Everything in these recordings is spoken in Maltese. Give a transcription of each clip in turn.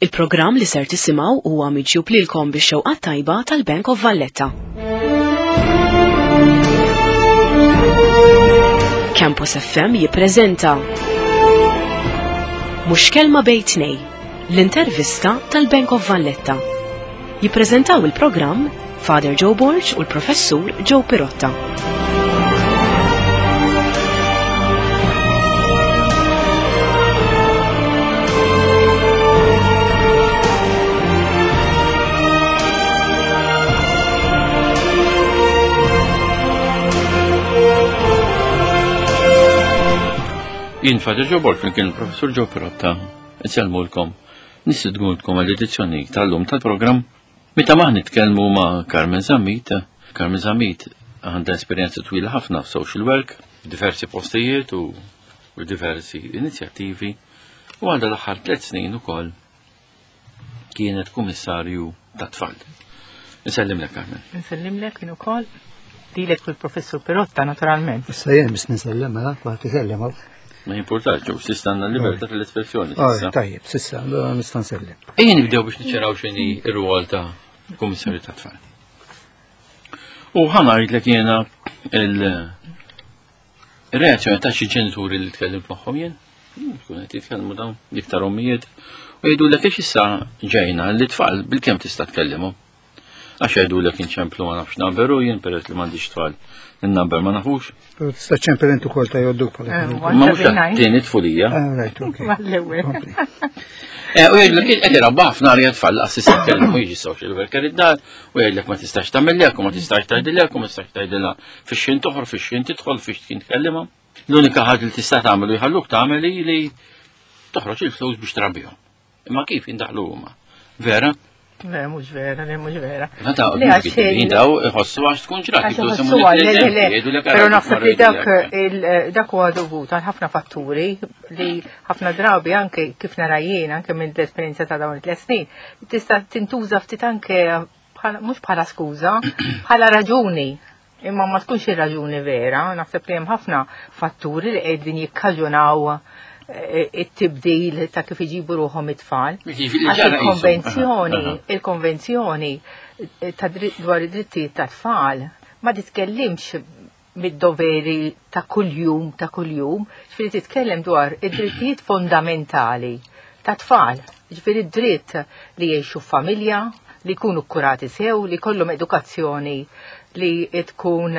Il-programm li ser tisimgħu huwa miġjub lilkom bix-xewqa tajba tal-Bank of Valletta. Campus FM jippreżenta Mhux kelma bejn tnej, l-intervista tal-Bank of Valletta. Jippreżentaw il-programm Father Joe Borg u l-Professur Joe Pirotta. Jien Father Joe Borg flimkien il-Professur Joe Pirotta, insellmulkom, nistidgulkom għall-edizzjoni tal-lum tal-programm Meta ma nitkellmu ma' Carmen Zammit, Carmen Zammit għandha esperjenza twila ħafna f'social work, f'diversi postijiet u diversi inizjattivi u għandha l-aħħar tliet snin ukoll kienet kummissarju ta' tfal. Nsellimlek Carmen. Nsellimlek jien ukoll. Lilek u l-professur Pirotta naturalment. Issa jien biss nisellem mela, kulħadd isellem hawn. Ma jimpurtax, ġew sissa għandna l-libertà tal-espressjoni. Tajjeb, sissa, nista' nsellem. Ejja nibdew biex niċċaraw x'inhi r-rwol ta' kummissarju ta' tfal. U ħa ngħidlek jiena il-reazzjoni ta' xi ġenituri li tkellimt magħhom jien, tkun qed jitkellmu dawn iktar ommijiet, u jgħidulek għax issa ġejna li tfal bil-kemm tista' tkellimhom. Għax jgħidulek inċemplu ma nafx number u jien peress li m'għandix tfal il-number ma nafux. Pero tista' ċempel inti ukoll ta' jodduk bħala. Eh, Ma mhux tieni tfulija. Ah, right, okay. Eh, u jgħidlek qed irabba ħafna għalija tfal laqas tista' tkellem u jiġi social worker id-dar u jgħidlek ma tistax tagħmel u ma tistax tgħidilek u ma tistax tgħidilha fix-xejn toħor fix-xejn tidħol fix-xejn tkellimha. L-unika ħaġa li tista' tagħmel u jħalluk tagħmel li toħroġ il-flus biex trabbihom. Imma kif jindaħlu huma? Vera? Le, mhux vera, le, mhux vera. Meta jindaw iħossu għax tkun ġrat, Però naħseb li dak dak huwa dovut għal ħafna fatturi li ħafna drabi anke kif nara jien anke minn l-esperjenza ta' dawn it-tliet snin, tista' tintuża ftit anke mhux bħala skuża, bħala raġuni Imma ma tkunx ir-raġuni vera, naħseb li hemm ħafna fatturi li qegħdin jikkaġunaw eh, it-tibdil ta' kif iġibu ruħhom it-tfal. Il-konvenzjoni, il-konvenzjoni eh, ta' dwar id-drittijiet ta' tfal ma titkellimx mid-doveri ta' kuljum ta' kuljum, ġifieri titkellem dwar id-drittijiet fondamentali ta' tfal, ġifieri dritt li jgħixu f'familja, li jkunu kkurati sew, li jkollhom edukazzjoni li tkun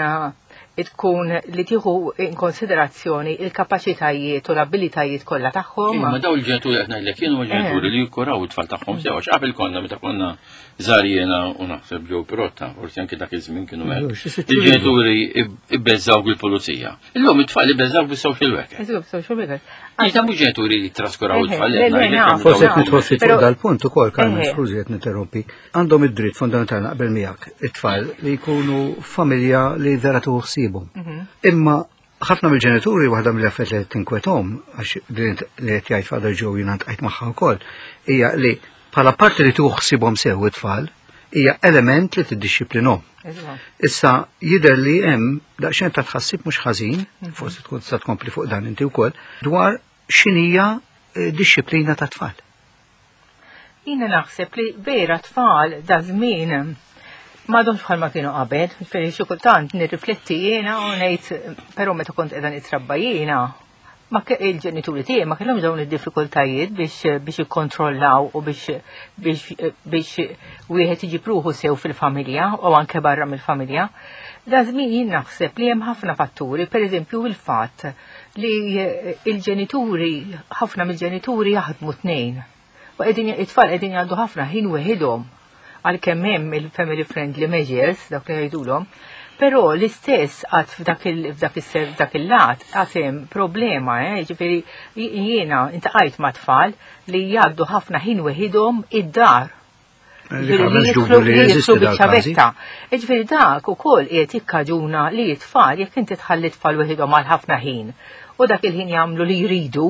tkun li tieħu in konsiderazzjoni il-kapaċitajiet u l-abilitajiet kollha tagħhom. Ma daw il-ġenituri qed ngħidlek kienu ġenituri eh. li jikkuraw it-tfal tagħhom sew għax qabel konna meta konna żgħar jiena u naħseb ġew Pirotta, forsi anke dak iż-żmien kienu hekk. Il-ġenituri ibbeżaw bil-pulizija. Illum it-tfal ibbeżaw bis-social worker. Eżatt, social worker. Iżda mhux ġenituri li traskuraw it-tfal. Forsi qed nidħol ftit fuq dal-punt ukoll, Carmen, skużi qed ninterrompi. Għandhom id-dritt fundamentali naqbel miegħek it-tfal li jkunu familja li vera tuħu ħsiebhom. Mhm. Imma ħafna mill-ġenituri waħda mill-affarijiet li tinkwethom għax li qed jgħid Father Joe jiena ntqajt magħha wkoll hija li bħala parti li tuħu ħsiebhom sew it-tfal hija element li tiddixxiplinhom. Issa jidher li hemm daqsxejn ta' tħassib mhux ħażin, mhm. forsi tkun tista' tkompli fuq dan inti wkoll, dwar x'inhija eh, dixxiplina ta' tfal. Jiena naħseb li vera tfal da żmien m'għadhomx bħalma kienu qabel, fejn xi kultant nirrifletti jiena u ngħid però meta kont qiegħda nitrabba jiena ma il-ġenituri tiegħi ma kellhomx dawn id-diffikultajiet biex biex ikkontrollaw u biex biex biex wieħed iġib ruħu sew fil-familja u anke barra mill-familja. Da żmien jien naħseb li hemm ħafna fatturi, pereżempju il-fatt li il-ġenituri, ħafna mill-ġenituri jaħdmu tnejn. U qegħdin it-tfal qegħdin jgħaddu ħafna ħin weħidhom għalkemm hemm il-family friendly measures dak li jgħidulhom, però l-istess għad f'dak il-lat għad hemm problema, eh, ġifieri jiena intaqajt ma' tfal li jgħaddu ħafna ħin weħidhom id-dar. Jidħlu biċ-ċavetta. Ġifieri dak ukoll qiegħed jikkaġuna li t-tfal jekk inti tħalli tfal weħidhom għal ħafna ħin u dak il-ħin jagħmlu li jridu,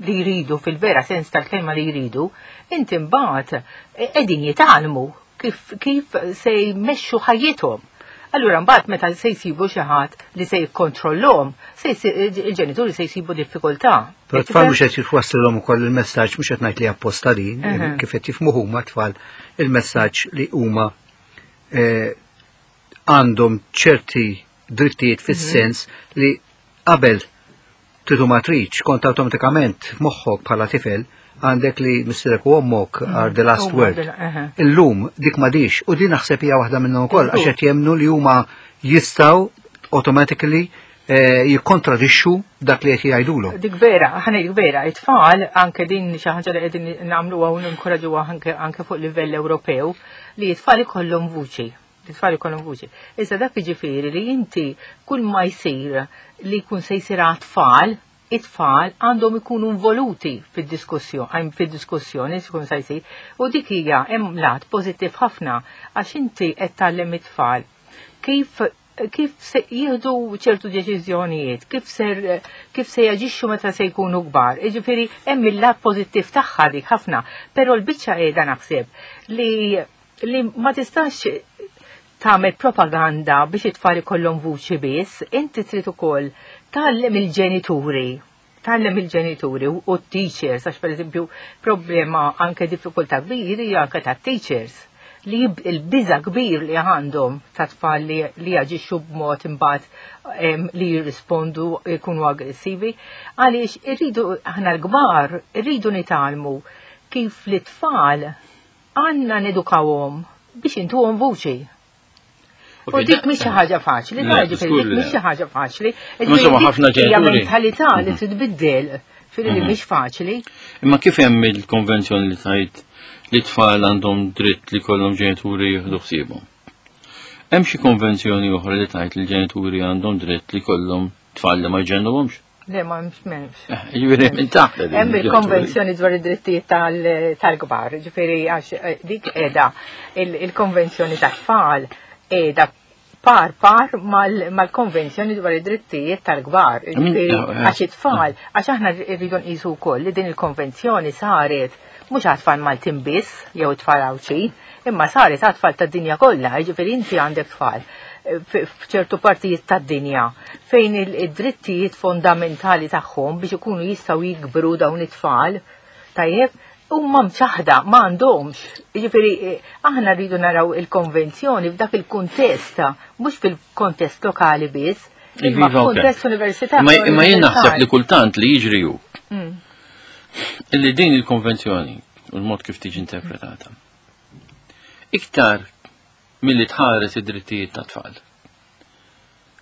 li jridu fil-vera sens tal-kelma li jridu, inti mbagħad qegħdin jitgħallmu kif, kif se jmexxu ħajjithom. Allura mbagħad meta se jsibu xi ħadd li se jikkontrollhom, se il-ġenituri se jsibu diffikultà. Però tfal mhux qed jitwassilhom ukoll il-messaġġ mhux qed ngħid li apposta din, kif qed jifhmu huma tfal il-messaġġ li huma eh, għandhom ċerti drittijiet fis-sens li qabel tridu ma tridx kont awtomatikament f'moħħok bħala tifel għandek li missierek u ommok are the last word. Illum dik m'għadix u din naħseb hija waħda minnhom ukoll għax qed jemmnu li huma jistgħu automatically eh, jikkontradixxu dak li qed jgħidulhom. Dik vera, ħana dik vera, it-tfal anke din xi ħaġa li qegħdin nagħmluha u ninkoraġuha anke fuq livell Ewropew li t-tfal ikollhom vuċi. It-tfal ikollhom vuċi. Issa dak jiġifieri li inti kull ma jsir li jkun se jsir għat-tfal, it-tfal għandhom ikunu involuti fid-diskussjoni, fid-diskussjoni jkun se jsir. U dik hija hemm lat pożittiv ħafna għax inti qed tgħallem it-tfal kif kif se jieħdu ċertu deċiżjonijiet, kif ser kif se jaġixxu meta se jkunu kbar. Jiġifieri hemm il-lat pożittiv tagħha dik ħafna, però l-biċċa qiegħda naħseb li li ma tistax tagħmel propaganda biex it-tfal ikollhom vuċi biss, inti trid ukoll tgħallem il-ġenituri tgħallem il-ġenituri u t-teachers, għax pereżempju problema anke diffikultà kbir hija anke tat-teachers li il-biża kbir li għandhom ta' tfal li, li jaġixxu b'mod imbagħad li jirrispondu jkunu aggressivi, għaliex irridu aħna l-kbar irridu nitgħallmu kif li tfal għandna nedukawhom biex intuhom vuċi. U dik mhix xi ħaġa faċli, dik mhix xi ħaġa faċli. Insomma ħafna ġenituri. Mentalità li trid tbiddel, ġifieri li mhix faċli. Imma kif hemm il-konvenzjoni li tgħid li tfal għandhom dritt li kollhom ġenituri jieħdu ħsiebhom? Hemm xi konvenzjoni oħra li tgħid li l-ġenituri għandhom dritt li kollhom tfal li ma jġennuhomx? Le, ma hemmx m'hemmx. Eh, jiġifieri minn taħt. Hemm il-konvenzjoni dwar id-drittijiet tal-kbar, ġifieri għax eh, dik qiegħda il-konvenzjoni tat-tfal qiegħda par par mal-konvenzjoni dwar id-drittijiet tal-kbar. Ġifieri eh, għax it-tfal, għax aħna rridu nqisu wkoll li din il-konvenzjoni saret mhux għat-tfal Maltin biss jew it-tfal Għawdxin, imma saret għat-tfal tad-dinja kollha, jiġifieri inti għandek tfal f'ċertu partijiet tad-dinja fejn id-drittijiet fondamentali tagħhom biex ikunu jistgħu jikbru dawn it-tfal, tajjeb, huma mċaħda ma għandhomx. Jiġifieri eh, aħna rridu naraw il-konvenzjoni f'dak il-kuntest, mhux fil-kontest lokali biss, imma iva, f'kuntest universitarju. Imma jien naħseb li kultant li jiġri hu mm. illi din il-konvenzjoni u l-mod kif tiġi interpretata. Iktar milli tħares id-drittijiet tat-tfal.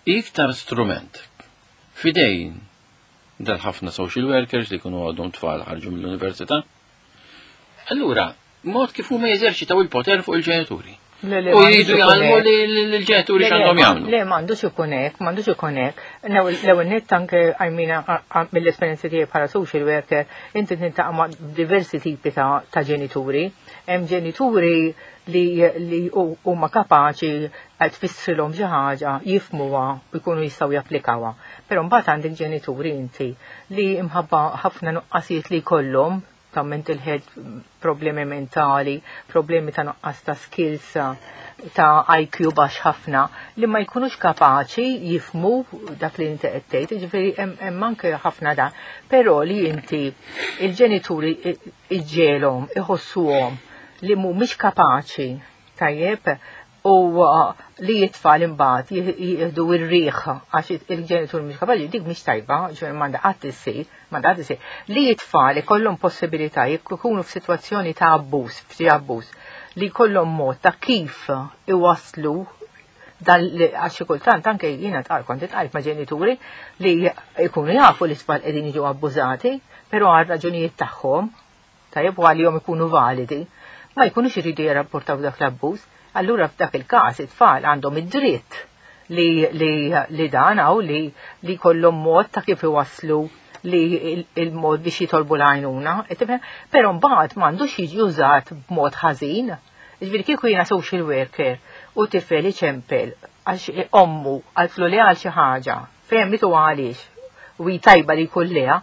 Hi iktar strument f'idejn dal-ħafna social workers li jkunu għadhom tfal ħarġu mill-università. Allura, mod kif huma jeżerċitaw il-poter fuq il-ġenituri. U jridu jgħallmu li l-ġenituri x'għandhom jagħmlu. Le, m'għandux ikun hekk, m'għandux ikun hekk. L-ewwel nett anke għajmina mill-esperjenza tiegħi bħala social worker, inti tintaqa' ma' diversi tipi ta' ġenituri. Hemm ġenituri li li huma kapaċi tfissrilhom xi ħaġa, jifhmuha u jkunu jistgħu japplikawha. Però mbagħad għandek ġenituri inti li imħabba ħafna nuqqasijiet li jkollhom ta' mental health, problemi mentali, problemi ta' nuqqas ta' skills, ta' IQ baxx ħafna, li ma jkunux kapaċi jifhmu dak li inti qed tgħid, jiġifieri hemm anke ħafna dan. Però li inti il-ġenituri iġġegħelhom iħossuhom li mhumiex kapaċi tajjeb u uh, li it-tfal imbagħad jieħdu r-riħ għax il-ġenitur mhux kapaċi, dik mhix tajba, ġifieri m'għandha qatt issir, m'għandha qatt issir. Li it-tfal ikollhom possibilità jekk ikunu f'sitwazzjoni ta' abbuż, f'xi abbuż, li jkollhom mod ta' kif iwasslu dan għax xi kultant anke jiena tqal kont itqajt ma' ġenituri li jkunu jafu li tfal qegħdin jiġu abbużati, però għal raġunijiet tagħhom, tajjeb u għalihom ikunu validi, ma jkunux iridu jirrapportaw dak l-abbuż. Allura f'dak il-każ it-tfal għandhom id-dritt li, li, li dan hawn li li jkollhom mod ta' kif iwasslu li il-mod biex jitolbu l-għajnuna, però mbagħad m'għandux jiġi użat b'mod ħażin. Jiġifieri kieku jiena social worker u tifel iċempel għax ommu qaltlu le għal xi ħaġa, fehmitu għaliex u hi tajba li jkun leha,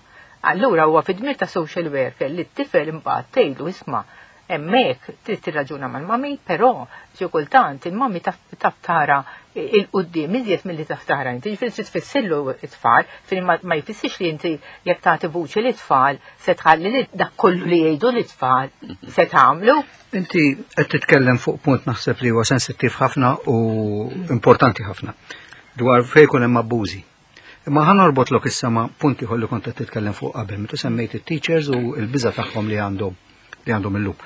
allura huwa fid-dmir ta' social worker li t-tifel imbagħad tgħidlu isma' Hemmhekk trid tirraġuna mal-mami, però xi kultant il-mami taf tara il-qudiem iżjed milli taf tara inti. Ġifieri trid tfissillu t-tfal, ġifieri ma jfissirx li inti jekk tagħti vuċi lit-tfal se tħalli li dak kollu li jgħidu lit-tfal se tagħmlu. Inti qed titkellem fuq punt naħseb li huwa sensittiv ħafna u importanti ħafna dwar fejn ikun hemm abbużi. Imma ħa norbotlok issa ma' punt ieħor li kont qed titkellem fuq qabel, meta semmejt it-teachers u l-biża' tagħhom li għandhom li għandhom illum.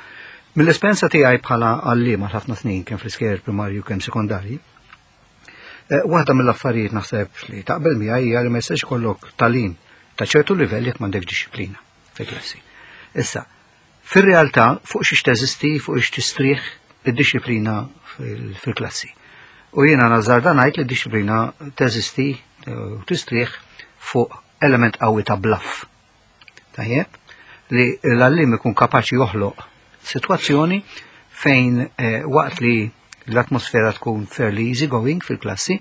Mill-esperjenza tiegħi bħala għalliem għal ħafna snin kemm fl-iskejjel primarju kemm sekondarji, eh, waħda mill-affarijiet naħseb li taqbel miegħi hija li ma jistax ikollok tagħlim ta' ċertu livell jekk m'għandek dixxiplina fil-klassi. Issa, Fir-realtà, fuq xiex teżisti, fuq xiex tistrieħ id-dixxiplina fil-klassi. U jiena nażżarda ngħid li d-dixxiplina teżisti eh, u tistrieħ fuq element qawwi ta' bluff. Tajjeb, li l-għallim ikun kapaċi joħloq sitwazzjoni fejn eh, waqt li l-atmosfera tkun fairly easy going fil-klassi,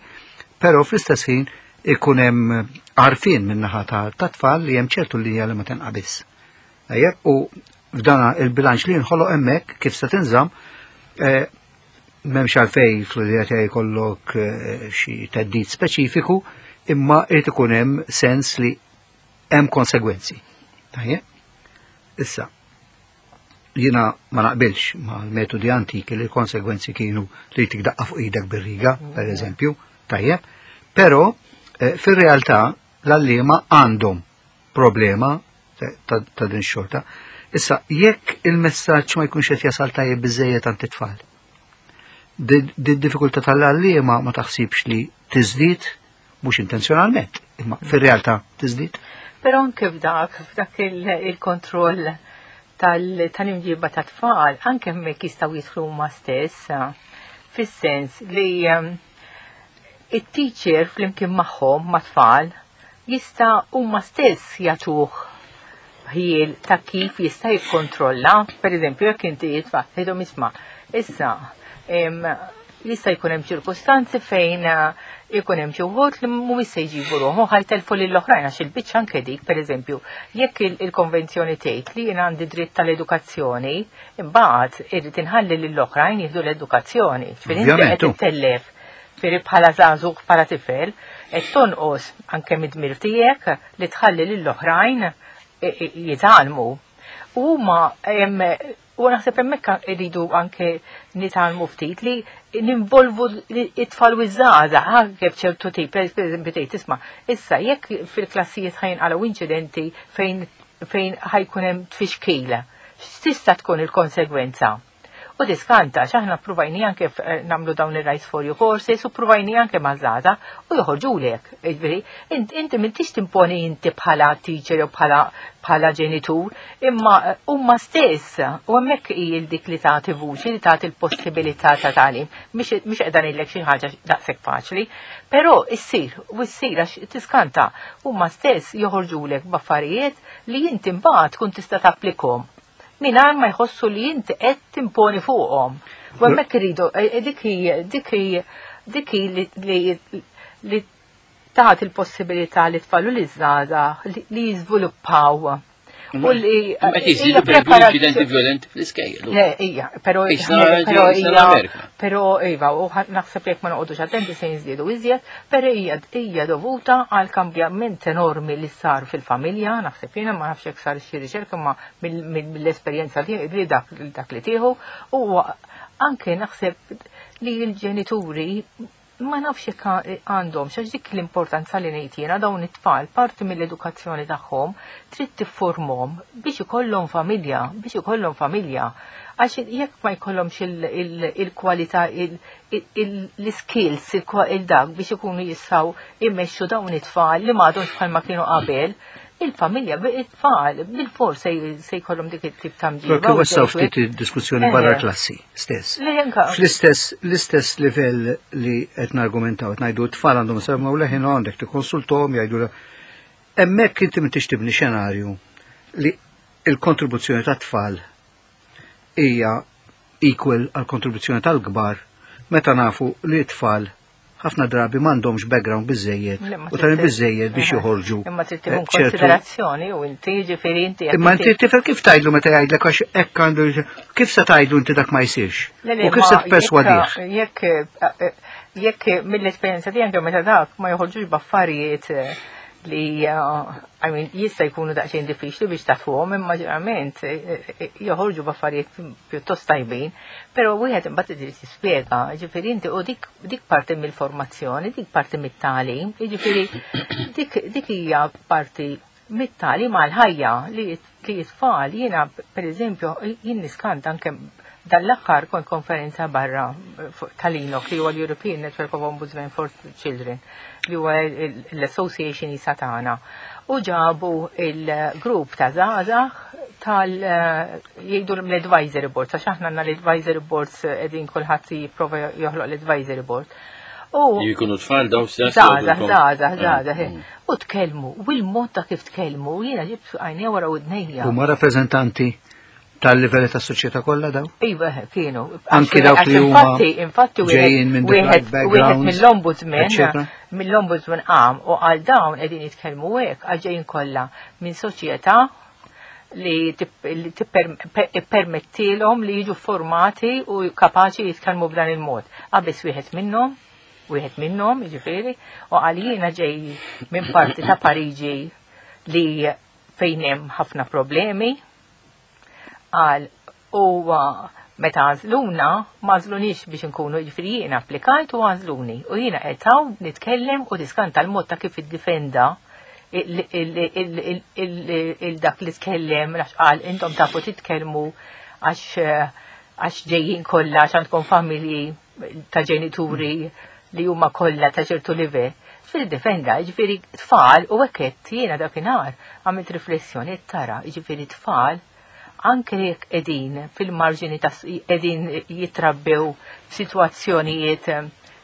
però fl-istess ħin ikun hemm għarfien min-naħa ta' tfal li hemm ċertu linja li ma tenqabis. Tajjeb, u f'dana il-bilanċ li nħoloq hemmhekk kif se tinżamm, eh, m'hemmx għalfej fl-idea tiegħi jkollok eh, xi teddid speċifiku, imma irid ikun hemm sens li hemm konsegwenzi. Tajjeb? Issa, jiena ma naqbilx ma l-metodi antiki li l-konsegwenzi kienu li tikdaqqa fuq idek bir-riga, per eżempju, tajjeb, però eh, fir-realtà l-għalliema għandhom problema ta' din xorta. Issa, jekk il-messaġġ ma jkunx qed jasal tajjeb biżejjed għand it-tfal, di diffikultà tal-għalliema ma taħsibx li tiżdied mhux intenzjonalment, imma fir-realtà tiżdied. Però anke f'dak, f'dak il-kontroll tal-imġiba ta' tfal, anke hemmhekk jistgħu jidħlu huma stess, fis-sens li ehm, it-teacher flimkien magħhom ma' tfal jista' huma stess jagħtuh ħjiel ta' kif jista' jikkontrolla, per eżempju, jekk inti jitfa' tgħidhom isma' issa jista' jkun hemm ċirkustanzi fejn eh, ikun hemm xi wħud li mhumiex se jġibu ruħhom ħajtelfu lil oħrajn għax il-biċċa anke dik, pereżempju, jekk il-konvenzjoni tgħid li jien għandi dritt tal-edukazzjoni, imbagħad irrid inħalli lil oħrajn jieħdu l-edukazzjoni. Ġifieri inti qed ittellef Ġifieri bħala żagħżugħ bħala tifel qed tonqos anke mid-dmir tiegħek li tħalli lill-oħrajn jitgħallmu. U huma u naħseb hemmhekk iridu anke nitgħallmu ftit li ninvolvu it-tfal u ż-żgħażagħ anke f'ċertu tip, pereżempju tgħid tisma' issa jekk fil-klassijiet ħajnqalgħu inċidenti fejn fejn ħajkun hemm tfixkil, x'tista' tkun il-konsegwenza? U tiskanta, x'aħna ppruvajni anke eh, nagħmlu dawn ir-Rights for You courses u ppruvajni anke maż-żgħażagħ u joħorġulek. Jiġifieri, inti m'intix timponi inti bħala teacher jew bħala bħala ġenitur, imma eh, huma stess u hemmhekk hi dik li tagħti vuċi, li tagħti l-possibilità ta' tagħlim. Mhix qiegħda ngħidlek xi ħaġa daqshekk faċli, però issir u ssir għax tiskanta huma stess joħorġulek b'affarijiet li inti mbagħad tkun tista' tapplikhom mingħajr ma jħossu li inti qed timponi fuqhom. U hemmhekk iridu eh, eh, dik hi dik hi dik hi li li tagħti l-possibilità li tfal u li żgħażagħ li jiżviluppaw. U li Qed jiżdiedu pereżempju inċidenti violenti fl-iskejjel. Le, ija, però però hija però iva, u naħseb jekk ma noqogħdux attenti se jiżdiedu iżjed, però hija hija dovuta għal kambjament enormi li sar fil-familja, naħseb jiena ma nafx jekk sar xi riċerka ma mill-esperjenza li dak dak li tieħu u anke naħseb li l-ġenituri ma nafx jekk għandhom xax dik l-importanza li ngħid jiena dawn it-tfal parti mill-edukazzjoni tagħhom trid tifformhom biex ikollhom familja, biex ikollhom familja. Għax jekk ma jkollhomx il-kwalità l-skills il-dak biex ikunu jistgħu jmexxu dawn it-tfal li m'għadhomx bħalma kienu qabel, il-familja, it-tfal, bil-fors se jkollhom dik it-tip ta' mġiba. Kif wassaw ftit id-diskussjoni barra klassi stess. Fl-istess l-istess livell li qed nargumentaw, qed ngħidu t-tfal għandhom semgħu leħin għandek tikkonsulthom jgħidu hemmhekk inti m'intix tibni xenarju li il-kontribuzzjoni tat-tfal hija equal għal kontribuzzjoni tal-kbar meta nafu li t-tfal ħafna drabi m'għandhomx background biżejjed u tagħlim biżejjed biex joħorġu. Imma trid tieħu eh, konsiderazzjoni u inti ġifieri inti. Imma inti tifel kif tgħidlu meta jgħidlek għax hekk għandu kif se tgħidlu inti dak ma jsirx? U kif se tipperswadih? Jekk eh, jekk mill-esperjenza tiegħi anke meta dak ma joħorġux b'affarijiet eh, li I mean, jista' jkunu daqsxejn diffiċli biex tagħtuhom, imma ġeneralment eh, eh, joħorġu b'affarijiet pjuttost tajbin, però wieħed imbagħad irid jispjega, ġifieri inti u dik, dik parti mill-formazzjoni, dik parti mit-tagħlim, jiġifieri dik, dik hija parti mit-tagħlim għal-ħajja li li t-tfal jiena pereżempju jien niskanta anke dan l-aħħar kont konferenza barra tal-ENOC li huwa l-European Network of Ombudsmen for Children li huwa l-Association jisa tagħna. U ġabu il-grupp ta' żgħażagħ tal jgħidu l-advisory boards, għax aħna għandna l-advisory boards qegħdin kulħadd jipprova joħloq l-advisory board. U jkunu tfal daw stess. Żgħażagħ, żgħażagħ, żgħażagħ. U tkellmu, u l-mod ta' kif tkellmu, jiena ġibt għajnejja wara widnejja. Huma rappreżentanti tal-livelli tas-soċjetà kollha daw? Iva, kienu. Anki dawk li huma infatti ġejjin minn wieħed mill-ombudsman mill-ombudsman qam u għal dawn qegħdin jitkellmu hekk għal ġejjin kollha minn soċjetà li tippermettilhom li jiġu formati u kapaċi jitkellmu b'dan il-mod. Qabeż wieħed minnhom, wieħed minnhom, jiġifieri, u qal jiena ġej minn parti ta' Pariġi li fejn hemm ħafna problemi. Qal u meta għażluna, ma għażlunix biex inkunu, jiġifieri jiena applikajt u għażluni. U jiena qed hawn nitkellem u tiskanta l-mod ta' kif iddifenda il-dak li tkellem, għax qal intom tafu titkellmu għax għax ġejjin kollha għax għandkom familji ta' ġenituri li huma kollha ta' ċertu livell. Ġifieri defenda, ġifieri tfal u hekk qed jiena dakinhar għamilt riflessjoni qed tara, ġifieri tfal anke jekk qegħdin fil-marġini ta' qegħdin jitrabbew f'sitwazzjonijiet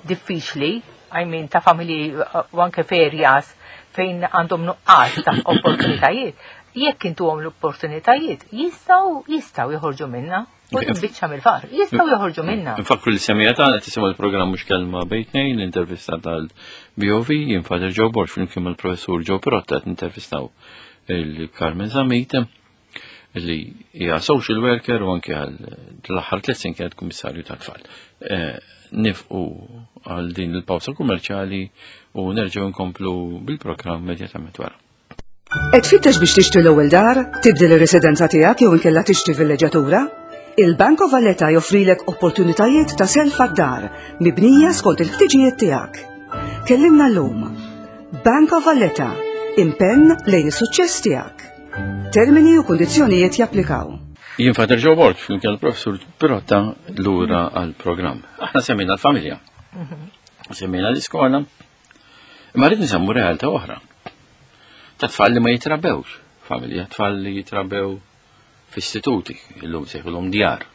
diffiċli, I mean ta' familji u anke f'areas fejn għandhom nuqqas ta' opportunitajiet, jekk intuhom l-opportunitajiet, jistgħu jistgħu joħorġu minna. U biċċa mill-faqar, jistgħu joħorġu minna. Nfakru li semija tagħna tisimgħu l-programm mhux kelma bejn tnejn, l-intervista tal-BOV, jien Father Joe Borg flimkien mal-professur Joe Pirotta qed nintervistaw il-Carmen Zammit li hija social worker u anke għal l-aħħar tliet snin kienet kummissarju tat-tfal. Eh, nifqu għal din il-pawsa kummerċjali u nerġgħu nkomplu bil-programm immedjatament wara. Qed tfittex biex tixtri l-ewwel dar, tibdel ir-residenza tiegħek jew inkella tixtri villeġġatura? Il-Bank of Valletta joffrilek opportunitajiet ta' self għad-dar mibnija skont il-ħtiġijiet tiegħek. Kellimna llum. Bank of Valletta, impenn lejn is-suċċess tiegħek. Termini u kundizzjonijiet japplikaw. Jien Father Joe Borg, flimkien l-Professur Pirotta lura għall-programm. Aħna semmejna l-familja. Semmejna l-iskola. Imma rrid nsemmu realtà oħra. Ta' tfal li ma jitrabbewx, familja, tfal li jitrabbew f'istituti, illum sejħulhom djar.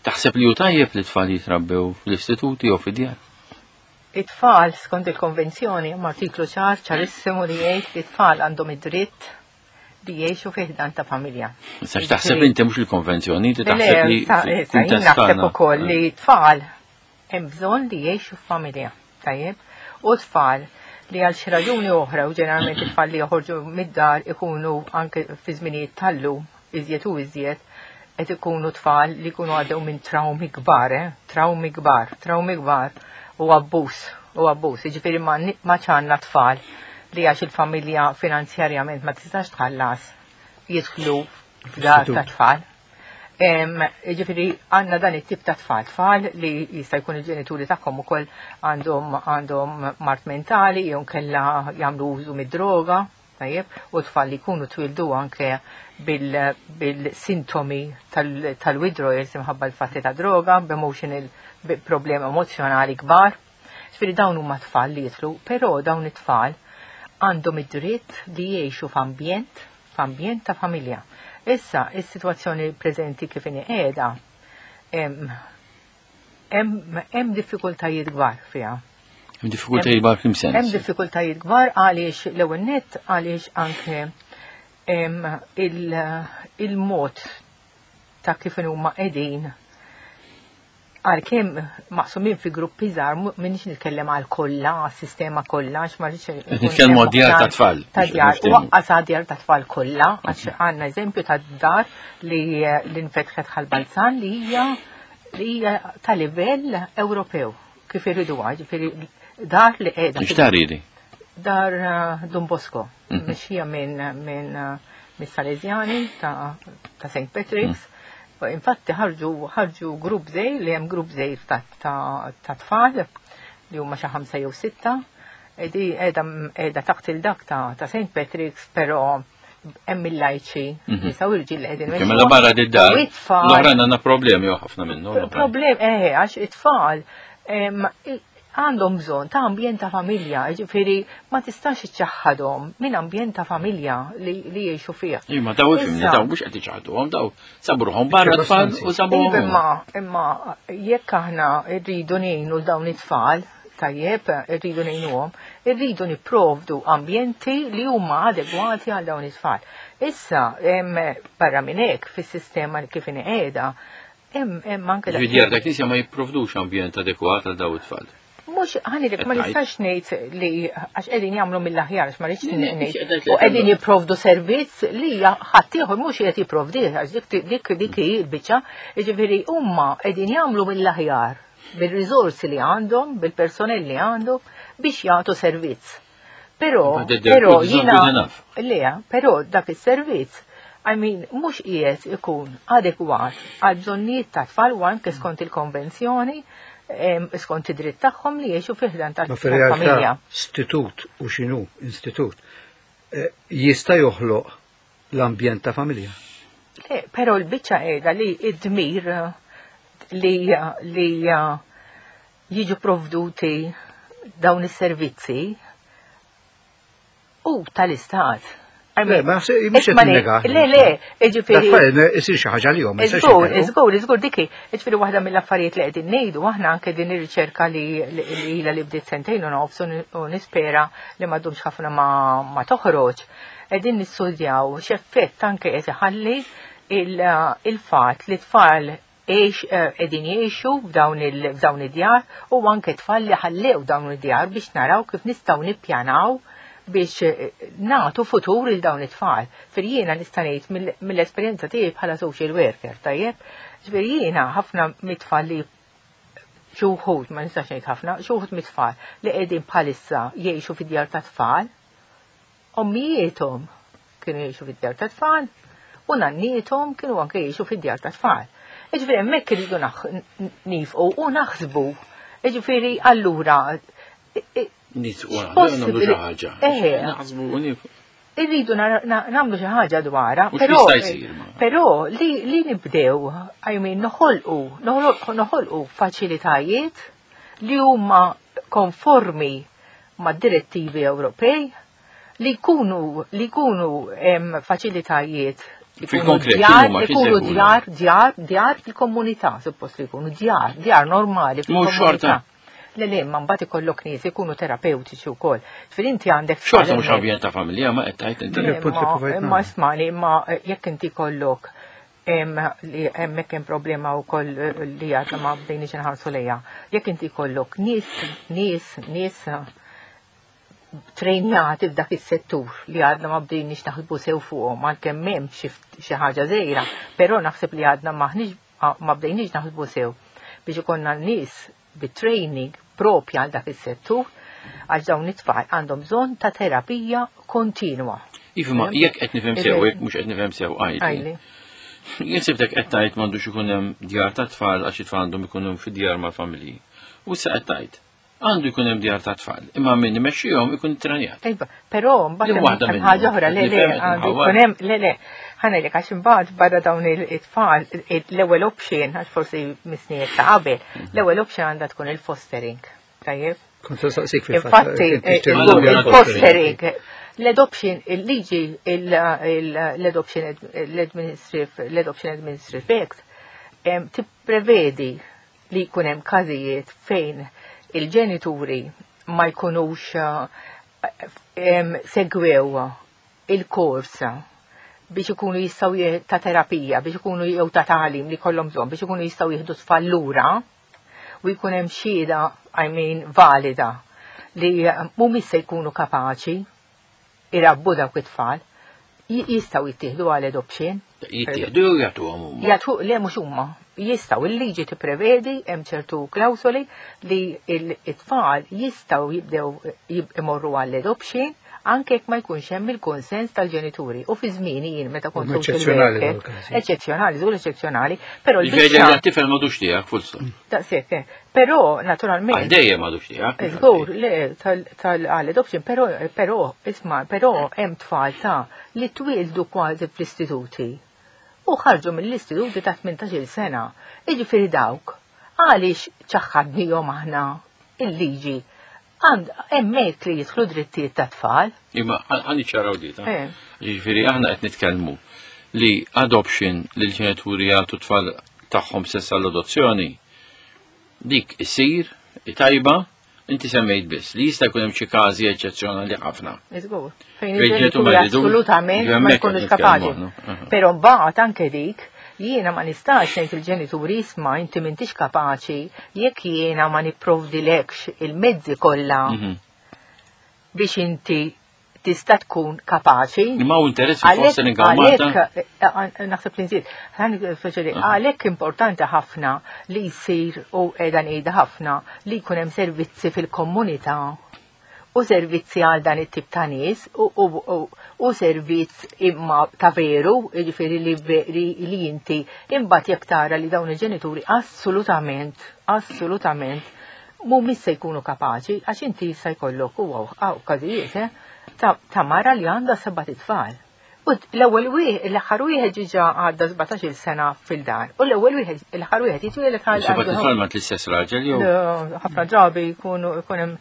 Taħseb li hu tajjeb li tfal jitrabbew fl-istituti jew fid-djar? It-tfal, skont il-konvenzjoni, hemm artiklu ċar, ċarissimu li jgħid li t-tfal għandhom id-dritt li jgħixu fi ħdan ta' familja. Issa x'taħseb inti mhux il-konvenzjoni, inti taħseb li jien naħseb ukoll li t-tfal hemm bżonn li jgħixu f'familja, tajjeb? U tfal li għal xi raġuni oħra u ġeneralment it-tfal li joħorġu mid-dar ikunu anke fi żminijiet tal-lum iżjed u iżjed qed ikunu tfal li jkunu għaddew minn trawmi kbar, eh? Trawmi kbar, trawmi kbar u abbuż, u abbuż. Jiġifieri ma ċanna tfal li għax il-familja finanzjarjament ma tistax tħallas jidħlu f'dar ta' tfal. Jiġifieri għandna dan it-tip ta' tfal, tfal li jista' jkun il-ġenituri tagħhom ukoll għandhom għandhom mard mentali jew kellha jagħmlu użu mid-droga. Tajjeb, u tfal li jkunu twildu anke bil-sintomi tal-withdrawals imħabba l-fatti ta' droga, b'emotional problemi emozjonali kbar. Ġifieri dawn huma tfal li jitlu, però dawn it-tfal għandhom id-dritt li jgħixu f'ambjent, f'ambjent ta' familja. Issa, is-sitwazzjoni preżenti kif inhi qiegħda, hemm diffikultajiet kbar fiha. Hemm diffikultajiet kbar f'lim sens? Hemm diffikultajiet kbar għaliex l-ewwel nett għaliex anke il-mod ta' kif huma qegħdin. Għalkemm maqsumin fi gruppi żgħar, m'iniex nitkellem għal kollha, għas-sistema kollha, għax ma rridx. Nitkellmu għad-djar ta' tfal. Ta' djar, u għas djar ta' tfal kollha, għax għandna eżempju ta' dar li l-infetħet ħal-Balzan li hija li hija ta' livell Ewropew kif iridu ġifieri dar li qiegħda. X'dar hi? Dar eh, Don Bosco, mhm. mixija minn minn eh, mis-Salesjani ta' St. Patrick's. Mhm. Infatti ħarġu ħarġu grupp żgħir li hemm grupp żgħir ta' tfal li huma xi ħamsa jew sitta. Di qiegħda taħt il-dak ta' St. Patrick's, però hemm il-lajċi mhm. nisa u rġiel li qegħdin. Mela barra di dar. L-oħrajn għandna problemi ħafna minnu. Problem eh għax it-tfal għandhom bżonn ta' ambjent ta' familja, ġifieri ma tistax iċċaħħadhom minn ambjent ta' familja li, li jgħixu fih. Imma daw ifhimni daw mhux qed iċaħduhom daw sabruhom barra tfal u sabuhom. Iva, imma imma jekk aħna rridu ngħinu l dawn it-tfal, tajjeb, irridu ngħinuhom, irridu nipprovdu ambjenti li huma adegwati għal dawn it-tfal. Issa, barra minn hekk fis-sistema li kif inqiegħda, Hemm anke dak. Ġifieri dak knisja ma jipprovdux ambjent adekwat għal daw it-tfal. Mhux ħanilek ma nistax ngħid li għax qegħdin jagħmlu mill-aħjar għax ma rridx ngħid. U qegħdin jipprovdu servizz li ħadd ieħor mhux qed jipprovdih għax dik dik dik hi l-biċċa. Jiġifieri huma qegħdin jagħmlu mill-aħjar bil-riżorsi li għandhom, bil-personell li għandhom biex jagħtu servizz. Però, però jiena, le, però dak is-servizz, I mean, mhux qiegħed ikun adekwat għal bżonnijiet ta' tfal u anke skont il-konvenzjoni, skont id-dritt tagħhom li jgħixu fi ħdan tal-familja. Istitut u x'inhu istitut eh, jista' joħloq l-ambjent ta' familja. Le, però l-biċċa qiegħda li id-dmir li li jiġu provduti dawn is-servizzi u tal-istat. Le, ma mhux qed ninnega. Le, le, jiġifieri. Isir xi ħaġa li jom. Iżgur, iżgur, iżgur diki. Jiġifieri waħda mill-affarijiet li qegħdin ngħidu aħna anke din ir-riċerka li ilha li bdiet sentejn u nofs u nispera li ma ddumx ħafna ma toħroġ. Qegħdin nistudjaw x'effett anke qed iħalli il-fatt li tfal għex qegħdin jgħixu f'dawn f'dawn id-djar u anke tfal li ħallew dawn id-djar biex naraw kif nistgħu nippjanaw biex eh, nagħtu futur il dawn it-tfal. Fir jiena nista' ngħid mill-esperjenza tiegħi bħala social worker, tajjeb? Ġifieri jiena ħafna mit-tfal li xi wħud, ma nistax ngħid ħafna, xi wħud mit-tfal li qegħdin bħalissa jgħixu fid-djar ta' tfal, Ommijiethom kienu jgħixu fid-djar ta' tfal u nanniethom kienu anke jgħixu fid-djar ta' tfal. Jiġifieri hemmhekk irridu nifqu u naħsbu. Jiġifieri allura Nifqu nagħmlu xi ħaġa. Naħsbu u nifqu. Irridu nagħmlu xi ħaġa dwarha, però però li, li nibdew, I mean, noħolqu, noħolqu faċilitajiet li huma konformi mad-direttivi Ewropej li jkunu li jkunu faċilitajiet djar, ikunu djar, djar, djar fil-komunità, suppost li jkunu djar, djar normali fil-komunità. Le le, ma mbagħad ikollok nies ikunu terapeutiċi wkoll. Fil inti għandek Xorta mhux ambjent ta' familja ma qed tgħid inti. Ma ismani, ma jekk inti kollok li hemmhekk hemm problema wkoll eh, li għadna ma bdejniex inħarsu lejha. Jekk inti jkollok nies, nies, nies trejnjati f'dak is-settur li għadna ma bdejniex naħsbu sew fuqhom għalkemm hemm xi ħaġa żgħira, però naħseb li għadna maħniex ma bdejniex naħsbu sew biex ikollna nies bit-training propja għal dak is-settur għax dawn it-tfal għandhom bżonn ta' terapija kontinwa. Iva, ma jekk qed nifhem sew, jekk mhux qed nifhem sew għajli. Jien sibtek qed tgħid m'għandux ikun hemm djar ta' tfal għax it-tfal għandhom ikunu fid-djar mal-familji. U issa qed tgħid għandu jkun hemm djar ta' tfal, imma min imexxihom ikun ittrenjat. Iva, però mbagħad hemm ħaġa oħra le le għandu jkun hemm le le ħanejlek għax imbagħad barra dawn it-tfal l-ewwel option għax forsi misnijiet ta' qabel, mhm. l-ewwel option għandha tkun il-fostering. Tajjeb? Kont saqsik fil-fatt. Infatti, eh, il-fostering, l-adoption, il-liġi, l-adoption, l-adoption administrative act, tipprevedi li jkun hemm każijiet fejn il-ġenituri ma jkunux eh, segwew il-kors biex ikunu jistgħu ta' terapija, biex ikunu jew ta' tagħlim li kollhom bżonn biex ikunu jistgħu jieħdu tfal lura. u jkun hemm xhieda, I mean, valida li mhumiex se jkunu kapaċi irabbu dawk it-tfal, jistgħu jittieħdu għal adoption. Jittieħdu jew jagħtuhom huma? Jagħtu, le mhux huma. Jistgħu, il-liġi tipprevedi hemm ċertu klawsoli li it-tfal jistgħu jibdew imorru għall adoption anke jekk ma jkunx hemm il-konsens tal-ġenituri. U fi żmieni jien meta kont social Eċċezzjonali worker, dawn il-każi. Eċċezzjonali, żgur eċċezzjonali, però Ġifieri l-biċċa tifel m'għadux tiegħek full stop. Daqshekk, eh. Però naturalment Għal dejjem m'għadux tiegħek. Żgur, le, tal-adoption, però, però, isma', però hemm tfal ta' li twieldu kważi fl-istituti u ħarġu mill-istituti ta' 18-il sena. Jiġifieri dawk, għaliex ċaħħadnihom aħna il-liġi? Għand hemmhekk li jidħlu drittijiet ta' tfal. Imma ħa niċċaraw di, ta'. Jiġifieri aħna qed nitkellmu li adoption li l-ġenituri jagħtu tfal tagħhom stess għall-adozzjoni, dik isir tajba, inti semmejt biss li jista' jkun hemm xi każi eċċezzjonali ħafna. Iżgur, fejn il-ġenituri assolutament ma jkunux kapaċi. Però mbagħad anke dik jiena ma nistax ngħid il-ġenituri isma' inti m'intix kapaċi jekk jiena ma nipprovdilekx il-mezzi kollha biex inti tista' tkun kapaċi. Imma hu interess fil-fostering hawn Malta? Għalhekk, naħseb li nżid, għalhekk importanti ħafna li jsir u qiegħda ngħidha ħafna li jkun hemm servizzi fil-komunità u servizzi għal dan it-tip ta' nies u servizz imma ta' veru, jiġifieri li inti imbagħad jekk tara li dawn il-ġenituri assolutament, assolutament mhumiex se jkunu kapaċi għax inti jista' jkollok u hawn każijiet, eh, ta' mara li għandha seba' tfal. U l-ewwel wieħed, l-aħħar wieħed ġiġa għadda 17-il sena fil-dar. U l-ewwel wieħed, l-aħħar wieħed jitwieled għal Seba' tfal ma l-istess raġel jew? Ħafna drabi jkunu jkun hemm.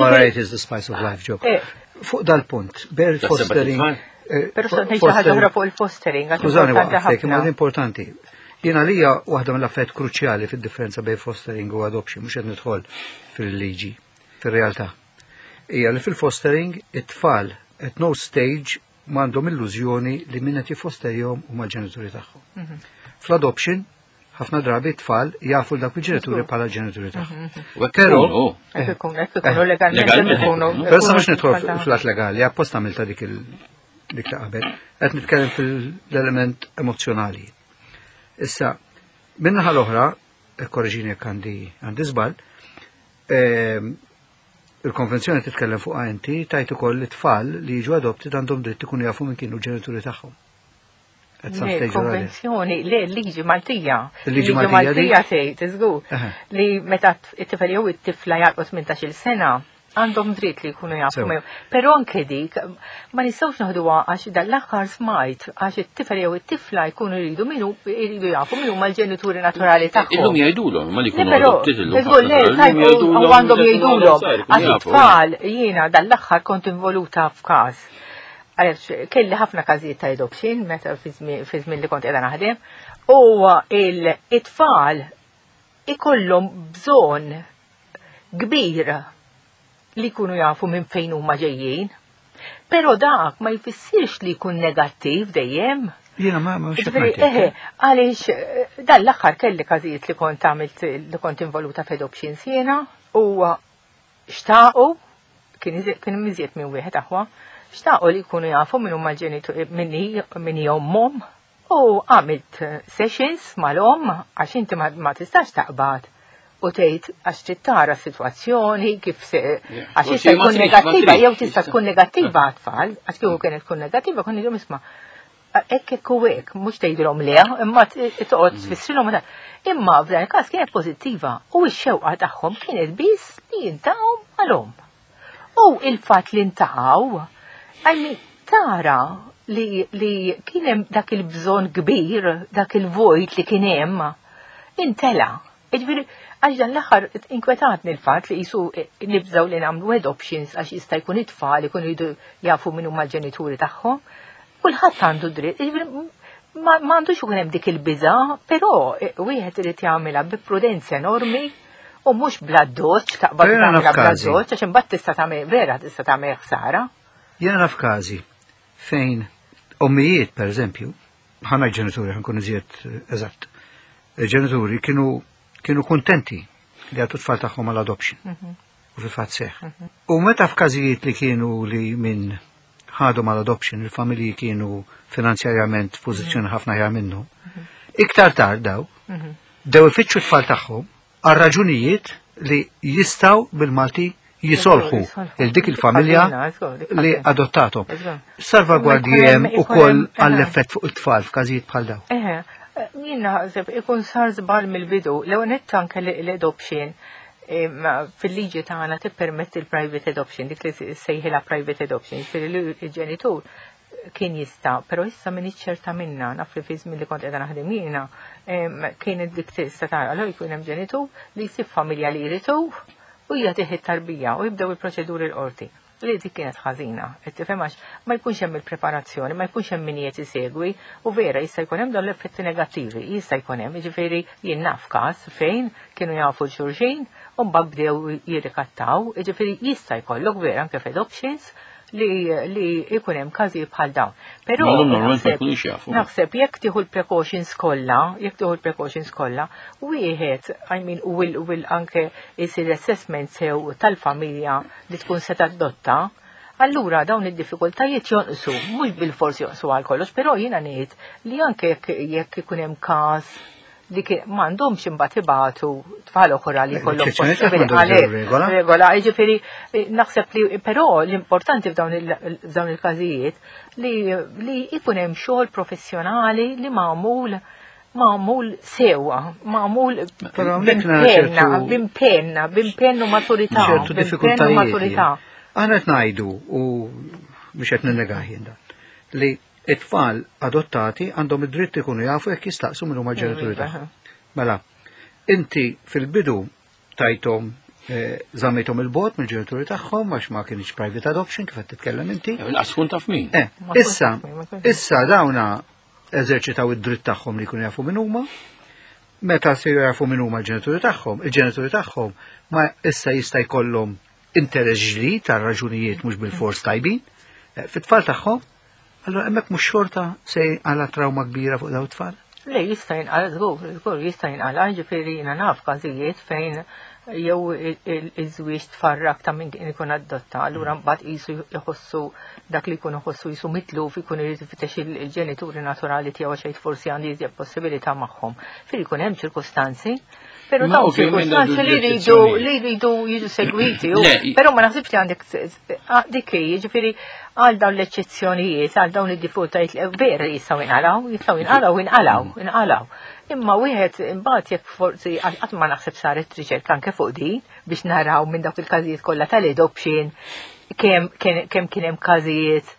Variety is the spice of life, Joe. Eh. Fuq dal-punt, ber fostering. Eh, Però xtaqt ngħid xi ħaġa oħra fuq il-fostering. Skużani waqfek, imma importanti. Jien għalija waħda mill-affarijiet kruċjali fid-differenza bejn fostering u adoption, mhux qed nidħol fil-liġi, fir-realtà. Hija li fil-fostering it-tfal at no stage m'għandhom illużjoni li min qed jiffosterjhom huma l-ġenituri tagħhom. Mhm. Fl-adoption, ħafna drabi t-tfal jafu dak il-ġenituri bħala ġenituri tagħhom. Mhm. Però eh, legalment Però sa mhux nidħol fl-att legali, apposta għamilta dik il dik ta' qabel, qed nitkellem fil-element emozjonali. Issa, minnaħa l-oħra, korreġini jekk għandi għandi żball, ehm, il-konvenzjoni titkellem fuq inti tajt ukoll li tfal li jiġu adopted għandhom dritt ikunu jafu minn kienu ġenituri tagħhom. Konvenzjoni, le, liġi Maltija. Liġi Maltija tgħid, iżgur, li meta it-tifel jew it-tifla jagħlqu 18-il sena, għandhom dritt li jkunu jafu. Però anke dik ma nistgħux naħduha għax dal-aħħar smajt għax it-tifel jew it-tifla jkunu jridu minu jridu jafu min huma l-ġenituri naturali tagħhom. Illum jgħidulhom ma li jkunu adopted illum. Għandhom jgħidulhom għax it-tfal jiena dal-aħħar kont involuta f'każ. Għaliex kelli ħafna każijiet ta' adoption meta fi żmien li kont qiegħda naħdem u il-tfal ikollhom bżonn kbir li jkunu jafu minn fejn huma ġejjin. Però dak ma jfissirx li jkun negattiv dejjem. Jiena ma ma Eħe, għaliex eh, dan l-aħħar kelli każijiet li kont għamilt li kont involuta f'adoptions jiena u xtaqu kien miżjed minn wieħed aħwa, xtaqu li jkunu jafu minn huma l-ġenituri minn ommhom U għamilt sessions mal-omm għax inti ma tistax taqbad u tgħid għax trid tara s-sitwazzjoni kif se għax jista' jkun negattiva jew tista' tkun negattiva għat-tfal, għax kieku kienet tkun negattiva kont ngħidilhom isma' hekk hekk u hekk, mhux tgħidilhom le, imma toqgħod mm. tfissrilhom. Imma f'dan il-każ kienet pożittiva u x-xewqa tagħhom kienet biss li jintaqgħu mal-omm. U il-fatt li ntaqgħu, I mean, tara li, li kien hemm dak il-bżonn kbir, dak il-vojt li kien hemm, intela. Jiġifieri, għax dan l-aħħar inkwetatni l-fatt li jisu nibżgħu li nagħmlu adoptions għax jista' jkun it-tfal ikunu jridu jafu min huma l-ġenituri tagħhom. Kulħadd għandu dritt, jiġifieri ma għandux ikun hemm dik il-biża', però wieħed irid jagħmilha bi prudenza enormi u mhux bla doċ, taqbad tagħmilha bla doċ, għax imbagħad tista' tagħmel vera tista' tagħmel ħsara. Jiena naf każi fejn ommijiet, per eżempju, ħana ġenituri, ħankun iżjed eh, eżatt, ġenituri kienu kienu kontenti. li jagħtu tfal tagħhom għal adoption. U fil-fatt seħ. U meta f'każijiet li kienu li minn ħadhom għal adoption il-familji kienu finanzjarjament f'pożizzjoni ħafna aħjar minnhom. Iktar tard daw, bdew ifittxu t-tfal tagħhom għal raġunijiet li jistgħu bil-Malti jisolħu il dik il-familja li adottatom. Salvagwardji hemm ukoll għall-effett fuq it-tfal f'każijiet bħal dawn. Eħe, jien naħseb ikun sar żball mill-bidu, l-ewwel nett anke l-adoption fil-liġi tagħna tippermetti l-private adoption, dik li sejħilha private adoption, jiġifieri li l-ġenitur kien jista', però issa minn ċerta minna, naf li fi żmien li kont qiegħda naħdem jiena, kienet dik tista' tara, allura jkun hemm ġenitur li jsib familja li jridu u jagħtih it-tarbija u jibdew il-proċeduri l-qorti. Li dik kienet ħażina, qed tifhem għax ma jkunx hemm il-preparazzjoni, ma jkunx hemm min qiegħed isegwi u vera jista' jkun hemm dawn l-effetti negattivi, jista' jkun hemm, jiġifieri jien naf każ fejn kienu jafu l-xulxin u mbagħad bdew jirrikattaw, jiġifieri jista' jkollok vera anke f'adoptions li li jkun hemm każijiet bħal dawn. Però Ma l-normalment ma jkunux jafu. naħseb jekk tieħu l-precautions kollha, jekk tieħu l-precautions kollha, wieħed, I mean, will, will anke jsir assessment sew tal-familja li tkun se tadotta, allura dawn id-diffikultajiet jonqsu, mhux bil-fors jonqsu għal kollox, però jiena ngħid li anke jekk ikun hemm każ li m'għandhomx imbagħad ibatu tfal oħra li jkollhom L-eċċezzjoni possibbli m'għandhomx għalhekk. regola. Regola, jiġifieri naħseb li però l-importanti f'dawn il-każijiet li jkun hemm xogħol professjonali li magħmul sewwa, magħmul Però hawnhekk nara ċertu b'impenna, b'impenn u maturità, ċertu b'impenn u diffikultajiet. maturità. Aħna qed ngħidu u biex qed ninnegah jien dan, li it-tfal adottati għandhom id-dritt ikunu jafu jekk jistaqsu min huma l-ġenituri tagħhom. Mela, inti fil-bidu tajthom żammejthom il-bogħod mill-ġenituri tagħhom għax ma kienx private adoption kif qed titkellem inti. Lanqas tkun taf min. Ma tkunx taf min, ma tkunx taf. Issa dawna eżerċitaw id-dritt tagħhom li jkunu jafu min huma. Meta se jafu min huma l-ġenituri tagħhom, il-ġenituri tagħhom ma issa jista' jkollhom interess ġdid ta' raġunijiet mhux bil-fors tajbin fit-tfal tagħhom, allura hemmhekk mhux xorta se jinqala trauma kbira fuq dawn it-tfal? Le, jista' jinqala żgur, żgur jista' jinqala, ġifieri jiena naf każijiet fejn jew iż-żwieġ tfarrak ta' min kien ikun adotta, allura mbagħad qisu jħossu dak li jkun iħossu qisu mitluf, ikun irid ifittex il-ġenituri naturali tiegħu għax jgħid forsi għandi iżjed possibilità magħhom. Fir ikun hemm ċirkustanzi, però Ma dawn ovvjament ċirkustanzi għandu li jridu l-eċċezzjonijiet. li jridu jiġu segwiti, Le, però ma naħsibx li għandek dik hi, jiġifieri għal dawn l-eċċezzjonijiet, għal dawn id-diffikultajiet li vera jistgħu jinqalgħu, jistgħu jinqalgħu, inqalgħu, inqalgħu. Imma wieħed imbagħad jekk forsi qatt ma naħseb saret riċerka anke fuq din biex naraw minn dawk il-każijiet kollha tal-adoption kemm kien hemm każijiet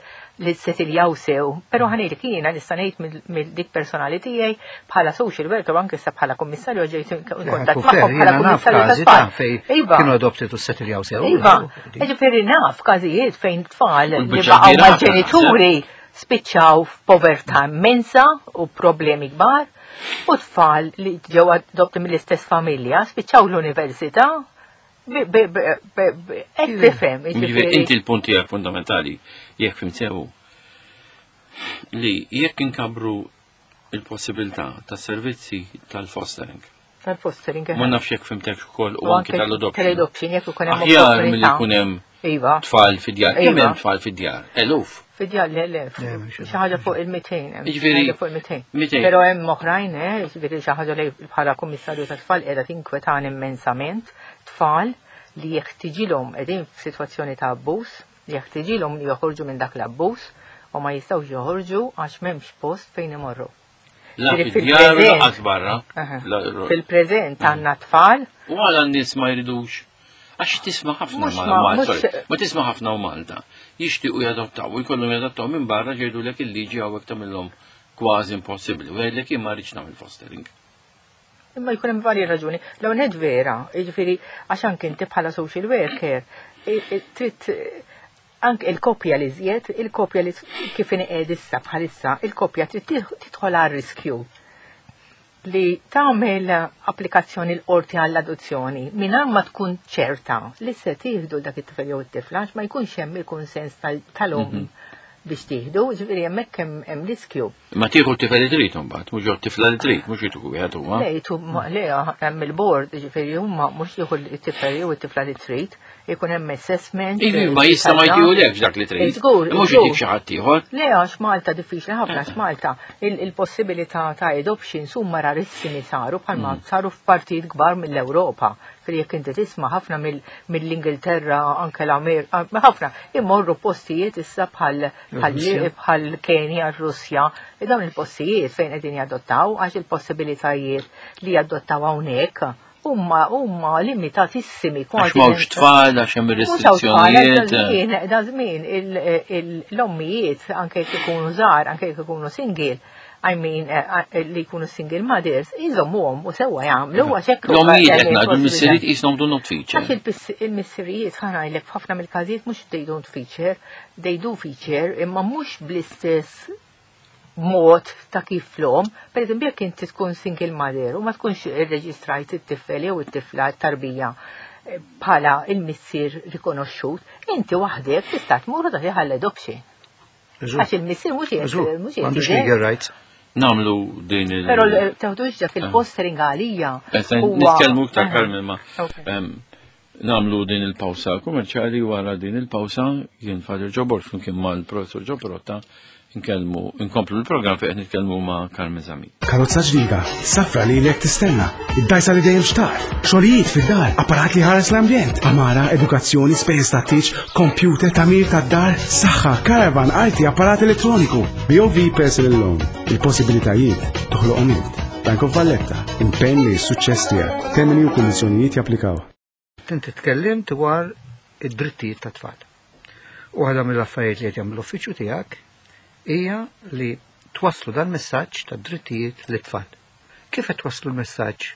li settiljaw sew, però ħanejlek jiena nista' ngħid mill dik personali tiegħi bħala social worker u anke issa bħala kummissarju ġejt in kuntatt magħhom bħala Jiena naf kummissarju każi tat-tfal. ta' fej Iva. kienu adopted u settiljaw sew. Iva, ġifieri naf każijiet fejn tfal U li l-biċċa baqgħu kbira mal-ġenituri spiċċaw f'povertà immensa u problemi kbar, u tfal li ġew adopti mill-istess familja spiċċaw l-università qed tifhem, Jiġifieri jiġifieri. inti l-punt tiegħek fundamentali jekk fhimt sew li jekk inkabru il-possibilità ta' servizzi tal-fostering. Tal-fostering, Ma nafx jekk fhimtek ukoll u U anke anke tal-adoption. tal-adoption, jekk ikun hemm Aħjar milli opportunità. jkun hemm Iva. tfal fid-djar. Kemm Iva. hemm tfal fid-djar? Eluf. Fid-djar, le, le, Le, mhux xi ħaġa fuq il-200, hemm xi Jiġifieri, ħaġa fuq il-200. 200. Però hemm oħrajn, jiġifieri xi ħaġa li bħala kummissarju tat-tfal qiegħda tinkwetani immensament, tfal li jeħtiġilhom qegħdin f'sitwazzjoni ta' abbuż, jeħtiġilhom li joħorġu minn dak l-abbuż u ma jistgħux joħorġu għax m'hemmx post fejn imorru. La Ġifieri fid-djar u fil-preżent. lanqas barra. Aha. La- Fil-preżent għandna tfal. U għala n-nies ma jridux. Għax tisma' ħafna Mhux ma' ma- Malta, mhux sorry, ma tisma' ħafna u Malta. Jixtiequ jadottaw, u jkollhom jadottaw minn barra jgħidulek il-liġi hawnhekk tagħmilhom kważi impossibbli. U jgħidlek jien ma rridx nagħmel fostering. Imma jkun hemm varji raġuni. L-ewwel nett vera, jiġifieri għax anke inti bħala social worker, trid anke il-koppja li żjed, il-koppja li kif inqiegħed issa bħalissa, il-koppja trid tidħol għal riskju li tagħmel applikazzjoni l-qorti għall-adozzjoni mingħajr ma tkun ċerta li se tieħdu dak it-tifel jew it-tifla għax ma jkunx hemm il-kunsens tal-omm biex tieħdu, ġifieri hemmhekk hemm riskju. Ma tieħu t-tifel li trid imbagħad, mhux jew tifla li trid, mhux jitu wieħed huwa. Le, jitu le hemm il-board, ġifieri huma mhux jieħu t-tifel jew it-tifla li trid, ikun hemm assessment. Ivi, ma jista' ma jtihulekx dak li trid. Żgur. Mhux jtik xi ħadd ieħor. Le, għax Malta diffiċli ħafna għax Malta il-possibilità ta' adoptions huma rarissimi saru bħalma mm. saru f'partijiet kbar mill-Ewropa. Fil jekk inti tisma' ħafna mill-Ingilterra, anke l-Amerika, ħafna immorru postijiet issa bħal bħal Kenja, Russja, dawn il-postijiet fejn qegħdin jadottaw għax il-possibilitajiet li jadottaw hawnhekk huma huma limitatissimi kważi. Għax m'hawnx tfal għax hemm restrizzjonijiet. Da żmien l-ommijiet anke jekk ikunu żgħar, anke jekk ikunu single, I mean, eh, eh, li jkunu single mothers, jżommuhom u sewwa jagħmlu għax hekk. L-ommijiet qed ngħidu l-missirijiet qishom do not feature. Għax il-missirijiet ħa ngħidlek f'ħafna mill-każijiet mhux they don't feature, they do feature, imma mhux bl-istess mod ta' kif l-om. Per eżempju, jekk inti tkun single mother u ma tkunx irreġistrajt it-tifel jew it-tifla tarbija eh, bħala il-missier rikonoxxut, inti waħdek tista' tmur u tagħti adoption. Għax il-missier mhux qiegħed mhux qiegħed. M'għandux legal rights. Namlu din il. Però teħdux dak il-fostering għalija. Nitkellmu iktar eh. Carmen ma. Namlu din il-pawsa kummerċjali wara din il-pawsa jien Father Ġobor flimkien mal-Professor Ġobrotta nkellmu nkomplu l-programm fejn qed nitkellmu ma' Carmen Zamit. Karozza ġdida, safra li lek tistenna, id-dajsa li dejjem xtaqt, xogħlijiet fid-dar, apparat li ħares l-ambjent, amara, edukazzjoni, spejjeż ta' tieġ, computer, tagħmir tad-dar, saħħa, caravan, arti, apparat elettroniku. BOV Personal Loan, il-possibilitajiet toħloqhom int. Bank of Valletta, impenn li s-suċċess tiegħek. Termini u kundizzjonijiet japplikaw. Inti tkellimt dwar id-drittijiet tat-tfal. U waħda mill-affarijiet li qed jagħmel l-uffiċċju tiegħek hija li twasslu dan messaġġ ta' drittijiet lit-tfal. Kif qed twasslu l-messaġġ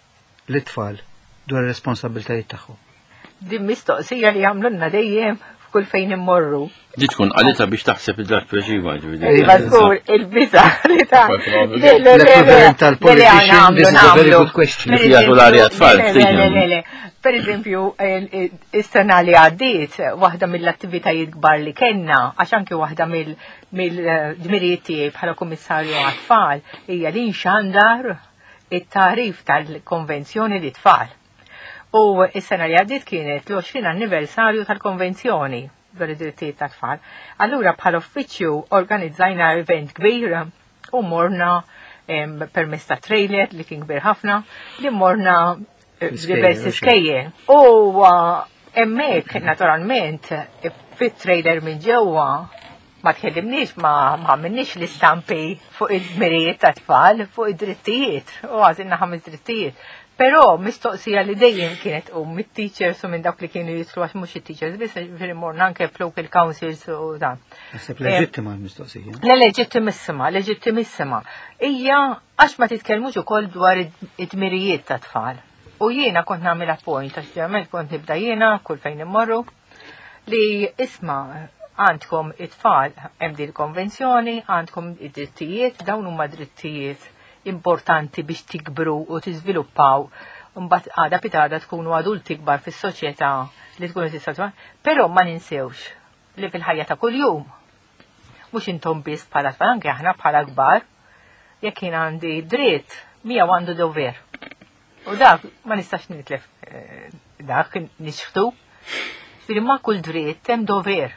lit-tfal dwar ir-responsabbiltajiet tagħhom? Din mistoqsija li jagħmlulna dejjem f'kull fejn immorru. Di tkun qalita biex taħseb id-dak tweġiba ġifieri. Iva żgur il-biża li ta' L-equivalent tal-politician, this is a very good question. Li jagħtu l-arja tfal. Per eżempju, is-sena li għaddiet, waħda mill-attivitajiet kbar li kellna, għax anke waħda mill-dmirijiet tiegħi bħala kummissarju għat-tfal, hija li nxandar it-tagħrif tal-konvenzjoni li tfal. U is-sena li għaddiet kienet l-20 anniversarju tal-konvenzjoni dwar id-drittijiet tat-tfal. Allura bħala uffiċċju organizzajna event kbir u morna permezz ta' trailer li kien kbir ħafna li morna eh, diversi skejjel. U hemmhekk naturalment fit-trailer minn ġewwa ma tkellimniex ma għamilniex l-istampi fuq id-dmirijiet ta' tfal, fuq id-drittijiet, u għażilna ħames drittijiet. Però mistoqsija li dejjem kienet u mit-teachers u minn dawk li kienu jitlu għax mhux it-teachers biss, ġifieri morna anke f'local councils u dan. Naħseb leġittima l-mistoqsija. Le leġittimissima, leġittimissima. Hija għax ma titkellmux ukoll dwar id-dmirijiet ta' tfal. U jiena kont nagħmel appoint għax ġeneralment kont nibda jiena kull fejn immorru li isma' għandkom it-tfal hemm din il-konvenzjoni, għandkom id-drittijiet, dawn huma drittijiet importanti biex tikbru u tiżviluppaw mbagħad għada pitada tkunu adulti kbar fis-soċjetà li tkunu tista' Però ma ninsewx li fil-ħajja ta' kuljum mhux intom biss bħala tfal anke aħna bħala kbar jekk jien għandi dritt miegħu għandu dover. U dak ma nistax nitlef eh, dak nixħtu. Ġifieri ma' kull dritt hemm dover.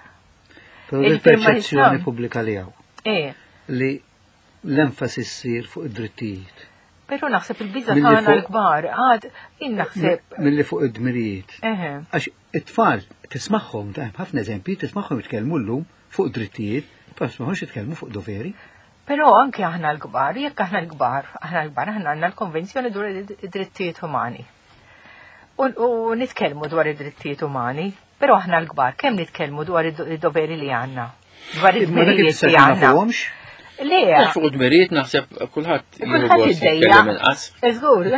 Però il-perċezzjoni pubblika li hawn. Eh. Li l-enfasi ssir fuq id-drittijiet. Però naħseb il-biża tagħna l-kbar, għad jien naħseb. Milli fuq id-dmirijiet. Għax it-tfal tismagħhom, ħafna eżempji, tismagħhom jitkellmu llum fuq drittijiet, però tismagħhomx jitkellmu fuq doveri. Però anke aħna l-kbar, jekk aħna l-kbar, aħna l-kbar, aħna għandna l-Konvenzjoni dwar id-drittijiet umani. U nitkellmu dwar id-drittijiet umani, però aħna l-kbar, kemm nitkellmu dwar id-doveri li għandna? Dwar id-dmirijiet li għandna. Le. Fuq id-dmirijiet naħseb kulħadd kulħadd iddejja. Żgur,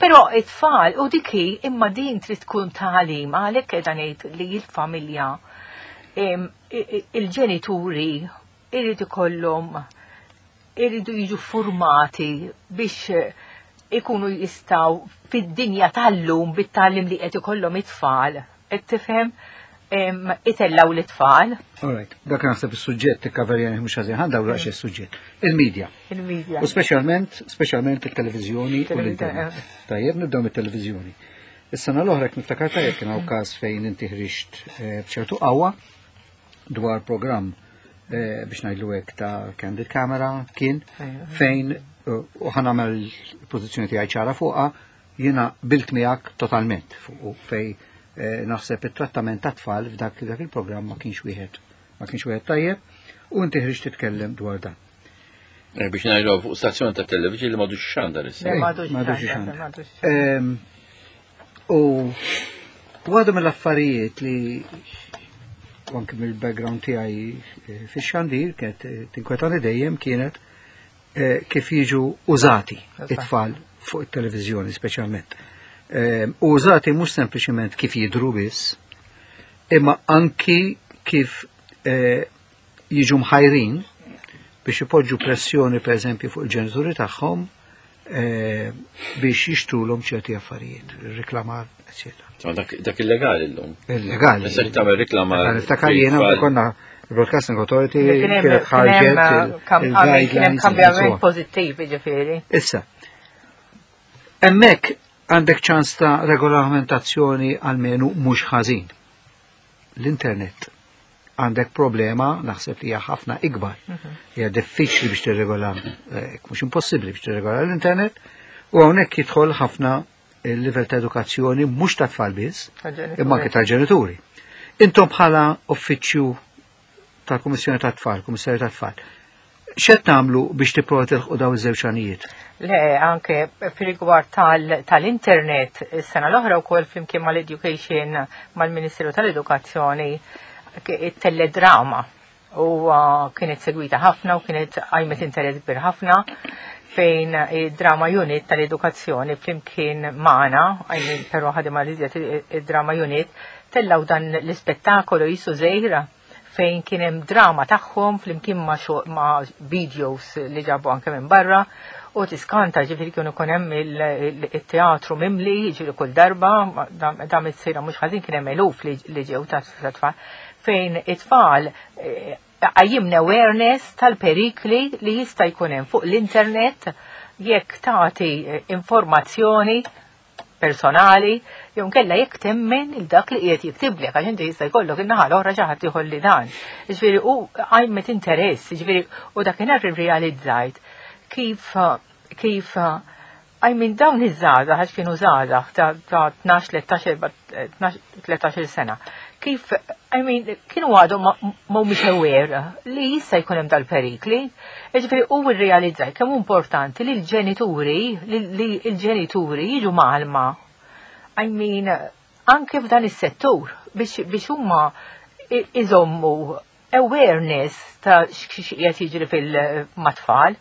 però it-tfal u dik hi imma din trid tkun tagħlim għalhekk qiegħda ngħid li l-familja il-ġenituri irid ikollhom iridu jiġu formati biex ikunu jistaw fid-dinja tal-lum bit-tagħlim li qed ikollhom it-tfal. Qed tifhem? itellaw l-itfal. All right, dak naħseb is-suġġett tikkaverjani mhux ħażin, ħa ndawru għax is-suġġett. Il-medja. Il-medja. U speċjalment, speċjalment il-televiżjoni u l-internet. Tajjeb, nibdew mit-televiżjoni. Is-sena l-oħra jekk niftakar tajjeb kien hawn każ fejn inti ħriġt eh, b'ċertu qawwa dwar programm eh, biex ngħidlu hekk ta' Candid Camera kien fejn eh, u ħanamel il-pożizzjoni tiegħi ċara fuqha jiena bilt miegħek totalment fuq fej eh, naħseb it-trattament ta' tfal f'dak dak il-programm ma kienx wieħed ma kienx wieħed tajjeb u inti ħriġt titkellem dwar dan. Eh, biex ngħidu fuq stazzjon ta' television li m'għadux xandar issa. Le, m'għadux xandar, m'għadux. Ehm, u waħda mill-affarijiet li anke mill-background tiegħi eh, fix-xandir kienet tinkwetani dejjem kienet Eh, kif jiġu użati it-tfal fuq it-televiżjoni speċjalment. Eh, użati mhux sempliċement kif jidru biss, imma anki kif eh, jiġu mħajrin biex ipoġġu pressjoni per eżempju fuq il-ġenituri tagħhom biex jixtrulhom ċerti affarijiet, riklamar, eccetera. Dak illegali llum. Illegali. Issa tagħmel riklamar. Niftakar jiena konna Broadcasting Authority kienet ħarġet il-guidelines. Kambjament pożittiv ġifieri. Issa, hemmhekk għandek ċans ta' regolamentazzjoni għalmenu mhux ħażin. L-internet għandek problema naħseb li hija ħafna ikbar. Mhm. Hija diffiċli biex tirregola, eh, mhux impossibbli biex tirregola l-internet, u hawnhekk jidħol ħafna il-livell ta' edukazzjoni mhux ta' tfal biss, imma anke tal-ġenituri. Intom bħala uffiċċju tal-Kummissjoni tat-Tfal, Kummissarju tat-Tfal, x'qed tagħmlu biex tipprova tilħqu daw iż-żewġ għanijiet? Le, anke fil-rigward tal-internet, is-sena l-oħra wkoll flimkien mal-Education mal-Ministeru tal-Edukazzjoni it-teledrama u kienet segwita ħafna u kienet għajmet interess kbir ħafna fejn id-drama unit tal-edukazzjoni flimkien magħna, għajmin però ħadima li id-drama unit, tellaw dan l-ispettakolu jisu żejra fejn kien hemm drama tagħhom flimkien ma', ma videos li ġabu anke minn barra u tiskanta ġifieri kienu kun hemm il-teatru mimli ġifieri kull darba dam it-sejra mhux ħażin kien hemm eluf li ġew ta' tfal fejn it-tfal eh, qajjimna awareness tal-perikli li jista' jkun hemm fuq l-internet jekk tagħti eh, informazzjoni personali jew nkella jekk temmen il dak li qiegħed jiktiblek għax inti jista' jkollok in-naħa l-oħra xi ħadd ieħor li dan. Jiġifieri u qajmet interess, jiġifieri u dakinhar irrealizzajt kif kif I mean dawn iż-żgħażagħ għax kienu żgħażagħ ta' 12, 13, 13 sena. Kif I mean kienu għadhom mhumiex aware li jista' jkun hemm dal-perikli. Jiġifieri u rrealizzaj kemm importanti li l-ġenituri li l-ġenituri jiġu mgħallma. I mean anke f'dan is-settur biex huma iżommu awareness ta' x'qiegħed jiġri fil-matfall.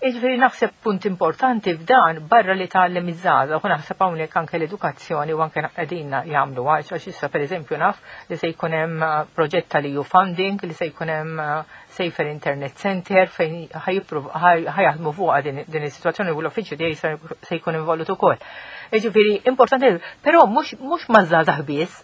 Jiġifieri naħseb punt importanti f'dan barra li tgħallem iż-żgħażagħ u naħseb hawnhekk anke l-edukazzjoni u anke qegħdin jagħmlu għax issa pereżempju naf li se jkun hemm eh, proġett tal-EU funding li se jkun hemm eh, Safer Internet Center fejn ħajaħdmu fuqha din is-sitwazzjoni u l-uffiċċju tiegħi se jkun involut ukoll. Jiġifieri importanti, però mhux maż-żgħażagħ biss,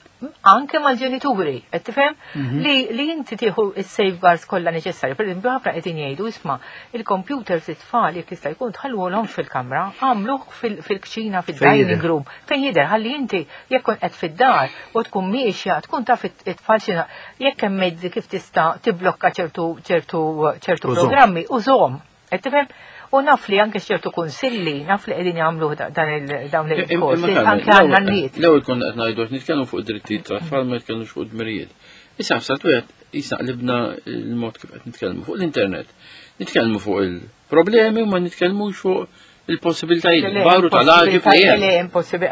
anke mal-ġenituri, qed tifhem? Mhm. Li, li inti tieħu s-safeguards kollha neċessarji. Per eżempju, ħafna qegħdin jgħidu isma' il-computers it-tfal jekk jista' jkun tħalluhom fil-kamra, għamluh fil-kċina fid-dining room, fejn jidher ħalli inti jekk kun qed fid-dar u tkun miexja, tkun taf it-tfal xi jekk hemm mezzi kif tista' tiblokka ċertu ċertu ċertu programmi użhom. Qed tifhem? U naf li anke ċertu kunsilli, naf li qegħdin jagħmlu dan il-dawn il-korsi, anke għandna n-nies. L-ewwel konna qed ngħidu qed nitkellmu fuq drittijiet tat-tfal ma nitkellmux fuq dmirijiet. Issa f'salt wieħed jisna qlibna l-mod kif qed nitkellmu fuq l-internet. Nitkellmu fuq il-problemi u ma nitkellmux fuq il-possibilitajiet kbar u tal-għaġib li hemm. Le, impossibbli.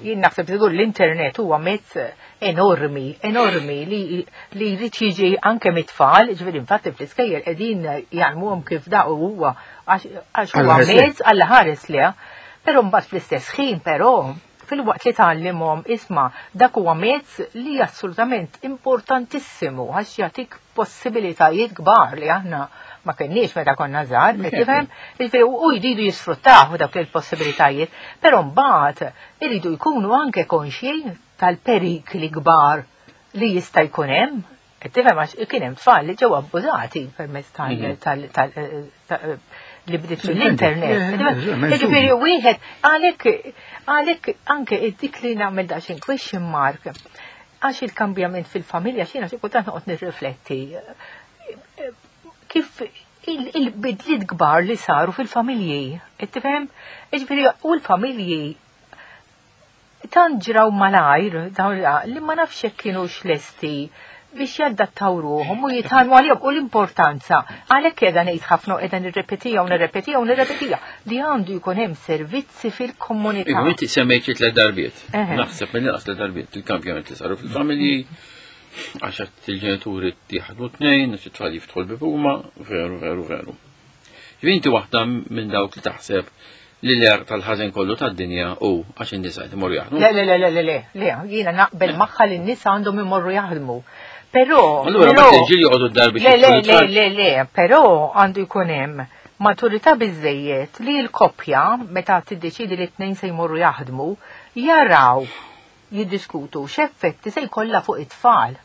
Jien naħseb żgur l-internet huwa mezz enormi, enormi li li jrid jiġi anke mit-tfal, ġifieri infatti fl-iskejjel qegħdin jgħallmuhom kif da huwa għax huwa mezz għal ħares li. Però mbagħad fl-istess ħin però filwaqt li tgħallimhom isma' dak huwa mezz li assolutament importantissimu għax jagħtik possibilitajiet kbar li aħna ma kenniex meta konna żgħar, qed tifhem? Jiġifieri u jridu jisfruttaw dawk il-possibilitajiet, però mbagħad iridu jkunu anke konxji tal-perikli kbar li jista' jkun hemm, qed tifhem għax kien hemm tfal li ġew abbużati permezz tal mhm. eh, li bdiet mill-internet. Jiġifieri wieħed għalhekk għalhekk anke dik li nagħmel daqsxejn question mark għax il-kambjament fil-familja xina xi kultant noqgħod nirrifletti kif il-bidliet kbar li saru fil-familji, tifhem? Jiġifieri u l-familji tant ġraw malajr dawn li ma nafx jekk kienux lesti biex jaddattaw ruħhom u jitgħallmu għalihom u l-importanza. Għalhekk qiegħda ngħid ħafna u qiegħda nirrepetija u nirrepetija u nirrepetija li għandu jkun hemm servizzi fil-komunità. Iva, inti semmejt xi tliet darbiet. Naħseb minn inqas tliet darbiet il-kampjament li saru fil-familji għax il-ġenituri jaħdmu tnejn, għax it-tfal jiftħu l-bib huma, veru, veru, veru. Inti waħda minn dawk li taħseb li l-għerq tal-ħażen kollu tad-dinja hu għax in-nisa qed imorru jaħdmu. Le, le, le, le, le, le, le, jiena naqbel magħha li n-nisa għandhom imorru jaħdmu. Però. Allura ma l-irġiel joqogħdu d-dar biex Le, le, le, le, le, però għandu jkun hemm maturità biżejjed li l-koppja meta tiddeċidi li t-tnejn se jmorru jaħdmu jaraw jiddiskutu x'effetti se jkollha fuq it-tfal.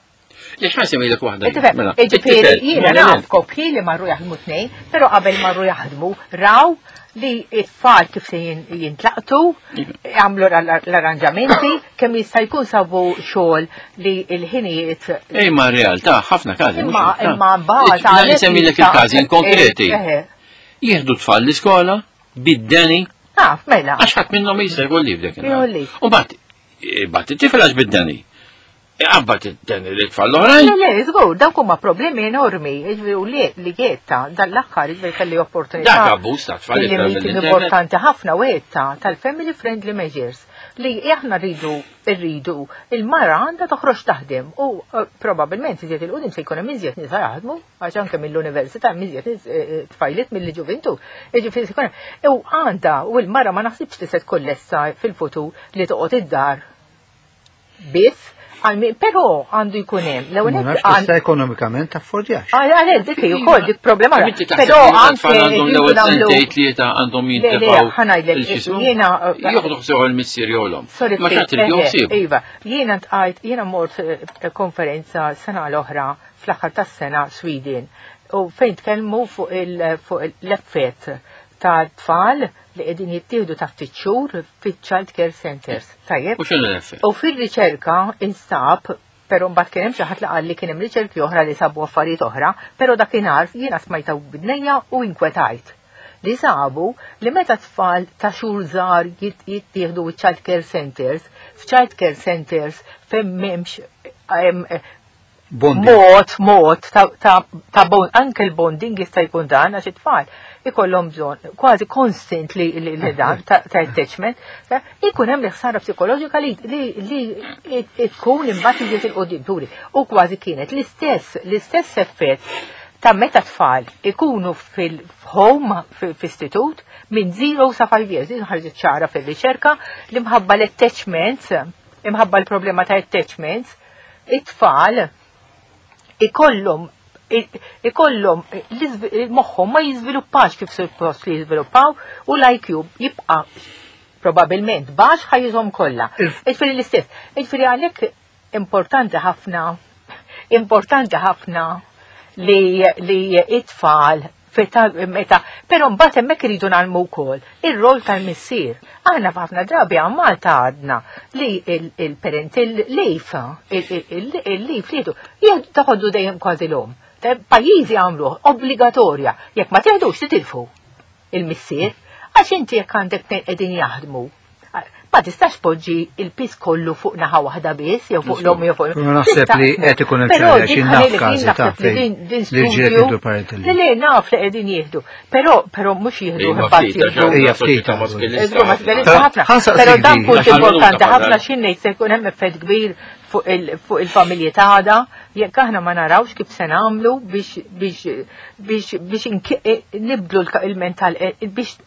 Le x'ħa nsemmilek waħda. Mela, Ġifieri jiena naf koppji li marru jaħdmu tnejn, però qabel marru jaħdmu raw li it-tfal kif se jintlaqtu, għamlu l-arranġamenti, kemm jista' jkun sabu xogħol li l-ħinijiet. Ej ma realtà ħafna każi. Imma imma mbagħad. Nsemmilek il-każi konkreti. Jieħdu tfal l-iskola bid-deni. Ah, mela. Għax ħadd minnhom jista' jkolli f'dak. U mbagħad bat it-tifel għax bid-deni. Iqabbad id-deni li tfal l-oħrajn. Le, le, żgur, dawk huma problemi enormi, jiġifieri u li li għedta dan l-aħħar jiġifieri kelli opportunità. Dak abbuż ta' tfal Kelli meeting importanti ħafna u għedta tal-family friendly measures li aħna rridu rridu il-mara għandha toħroġ taħdem u eh, probabbilment iżjed il-qudiem se jkun hemm iżjed nisa jaħdmu għax anke mill-università hemm iżjed nies eh, eh, tfajliet milli ġuvintu. Jiġifieri se jkun hemm. U għandha u l-mara ma naħsibx li se tkun lesta fil-futur li toqgħod id-dar biss, però għandu jkun hemm. L-ewwel nett ekonomikament taffordjax. Għal dik hi wkoll dik problema. Però anke għandhom l-ewwel sentejn tlieta għandhom jintefgħu. Ħanajdlek jiena jieħdu ħsieb il-missier jew l-omm. Ma xatt il Iva, jiena ntqajt jiena mort eh, konferenza sena l-oħra fl-aħħar tas-sena Sweden u fejn tkellmu fuq l-effett ta' tfal li qegħdin jittieħdu ta' ftit xhur fiċ-child care centers. Tajjeb. U x'inhu l-effett? U fir-riċerka instab pero mbagħad kien hemm xi ħadd li qal li kien hemm riċerki oħra li sabu affarijiet oħra, però dakinhar jiena smajta bidnejja u inkwetajt. Li sabu li meta tfal ta' xhur żgħar jittieħdu child care centers, f'child care centers fejn m'hemmx Mod, mod, ta' ta' bond, anke l-bonding jista' jkun dan għax it-tfal ikollhom bżonn kważi constant li li dan ta' attachment, ikun hemm ħsara psikoloġika li li tkun imbagħad iżjed il-qudiem turi. U kważi kienet l-istess l-istess effett ta' meta tfal ikunu fil-home fl-istitut minn 0 sa 5 years, din ħarġet ċara fil-riċerka li mħabba l-attachments, imħabba l-problema ta' attachments, it-tfal ikollhom ikollhom moħħhom ma jiżviluppax kif suppost li jiżviluppaw u l-IQ jibqa' probabilment baxx ħajjithom kollha. Jiġifieri l-istess. Jiġifieri għalhekk importanti ħafna importanti ħafna li li it-tfal meta, però mbagħad hemmhekk iridu nagħlmu wkoll ir-rol tal-missier. Aħna f'ħafna drabi għal Malta għadna li il-parental leave, il-leave li jieħdu taħoddu dejjem kważi l-omm. Pajjiżi għamluh obbligatorja, jekk ma teħdux titilfu il-missier, għax inti jekk għandek tnejn qegħdin jaħdmu ma tistax poġġi il-pis kollu fuq naħa waħda biss, jew fuq l-om jew fuq. Naħseb li qed ikun hemm xi naf każi ta' fejn li ġiet jieħdu parental. Le le naf li qegħdin jieħdu, però però mhux jieħdu imbagħad jieħdu. Hija ftit ħafna. Però dan punt importanti ħafna xi ngħid se jkun hemm effett kbir fuq il-familji tagħna jekk aħna ma narawx kif se nagħmlu biex biex biex biex nibdlu il-mental eh, biex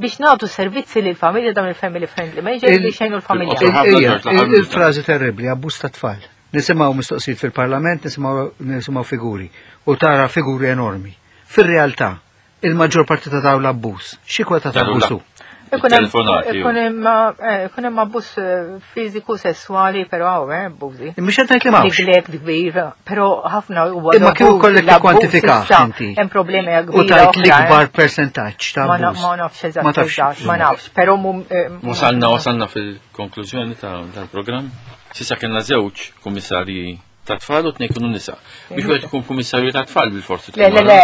biex nagħtu servizzi lil familja dawn il-family friendly measures biex jgħinu l-familja. Il-frażi terribbli abbuż ta' tfal. Nisimgħu mistoqsijiet fil-Parlament, nisimgħu figuri u tara figuri enormi. Fir-realtà, il-maġġor parti ta' dawn l-abbuż, xi kwota ta' abbuż hu? Telefonati. Ikun hemm abbuż fiżiku, sesswali, però hawn abbużi. Mhux qed ngħid li m'hawnx. Neglect kbir, però ħafna huwa. Imma kieku kollek tikkwantifikah inti. Hemm problemi kbira. U tajt l-ikbar persentaġġ ta' abbuż. Ma nafx eżatt, ma nafx, però Wasalna fil-konklużjoni tal-programm. S'issa kellna żewġ kummissarji ta' tfal u tnejn kienu nisa. Biex wieħed ikun kummissarju ta' tfal bil-forsi. Le, le, le,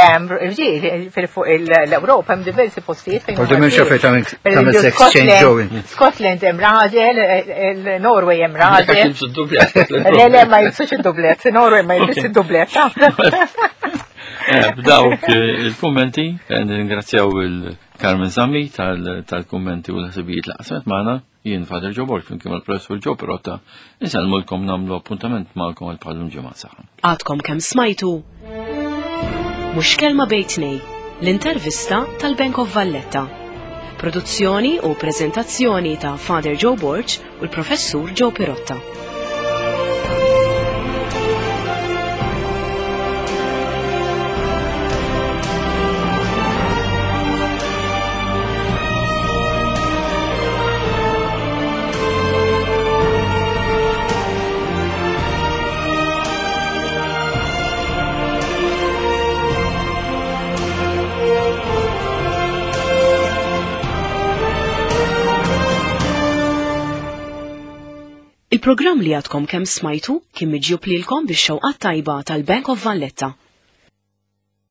irġiel, fuq l-Ewropa hemm diversi postijiet fejn. Għadu minn xofet tagħmel sex change going. Scotland hemm raġel, Norway hemm raġel. Le, le, ma jilbsux id-dublet, Norway ma jilbsux id-dublet. B'dawk il-kummenti, nirringrazzjaw il-Carmen Zammi tal-kummenti u l-ħsibijiet li qasmet magħna. Jien Father Joe Borg flimkien mal-Professur Joe Pirotta insellmulkom nagħmlu appuntament magħkom għal bħalum ġimgħa saħħa. Għadkom kemm smajtu Mhux kelma bejn tnej, l-intervista tal-Bank of Valletta. Produzzjoni u preżentazzjoni ta' Father Joe Borg u l-Professur Joe Pirotta. Il-programm li għadkom kemm smajtu kien miġjub lilkom bix-xewqat tajba tal-Bank of Valletta.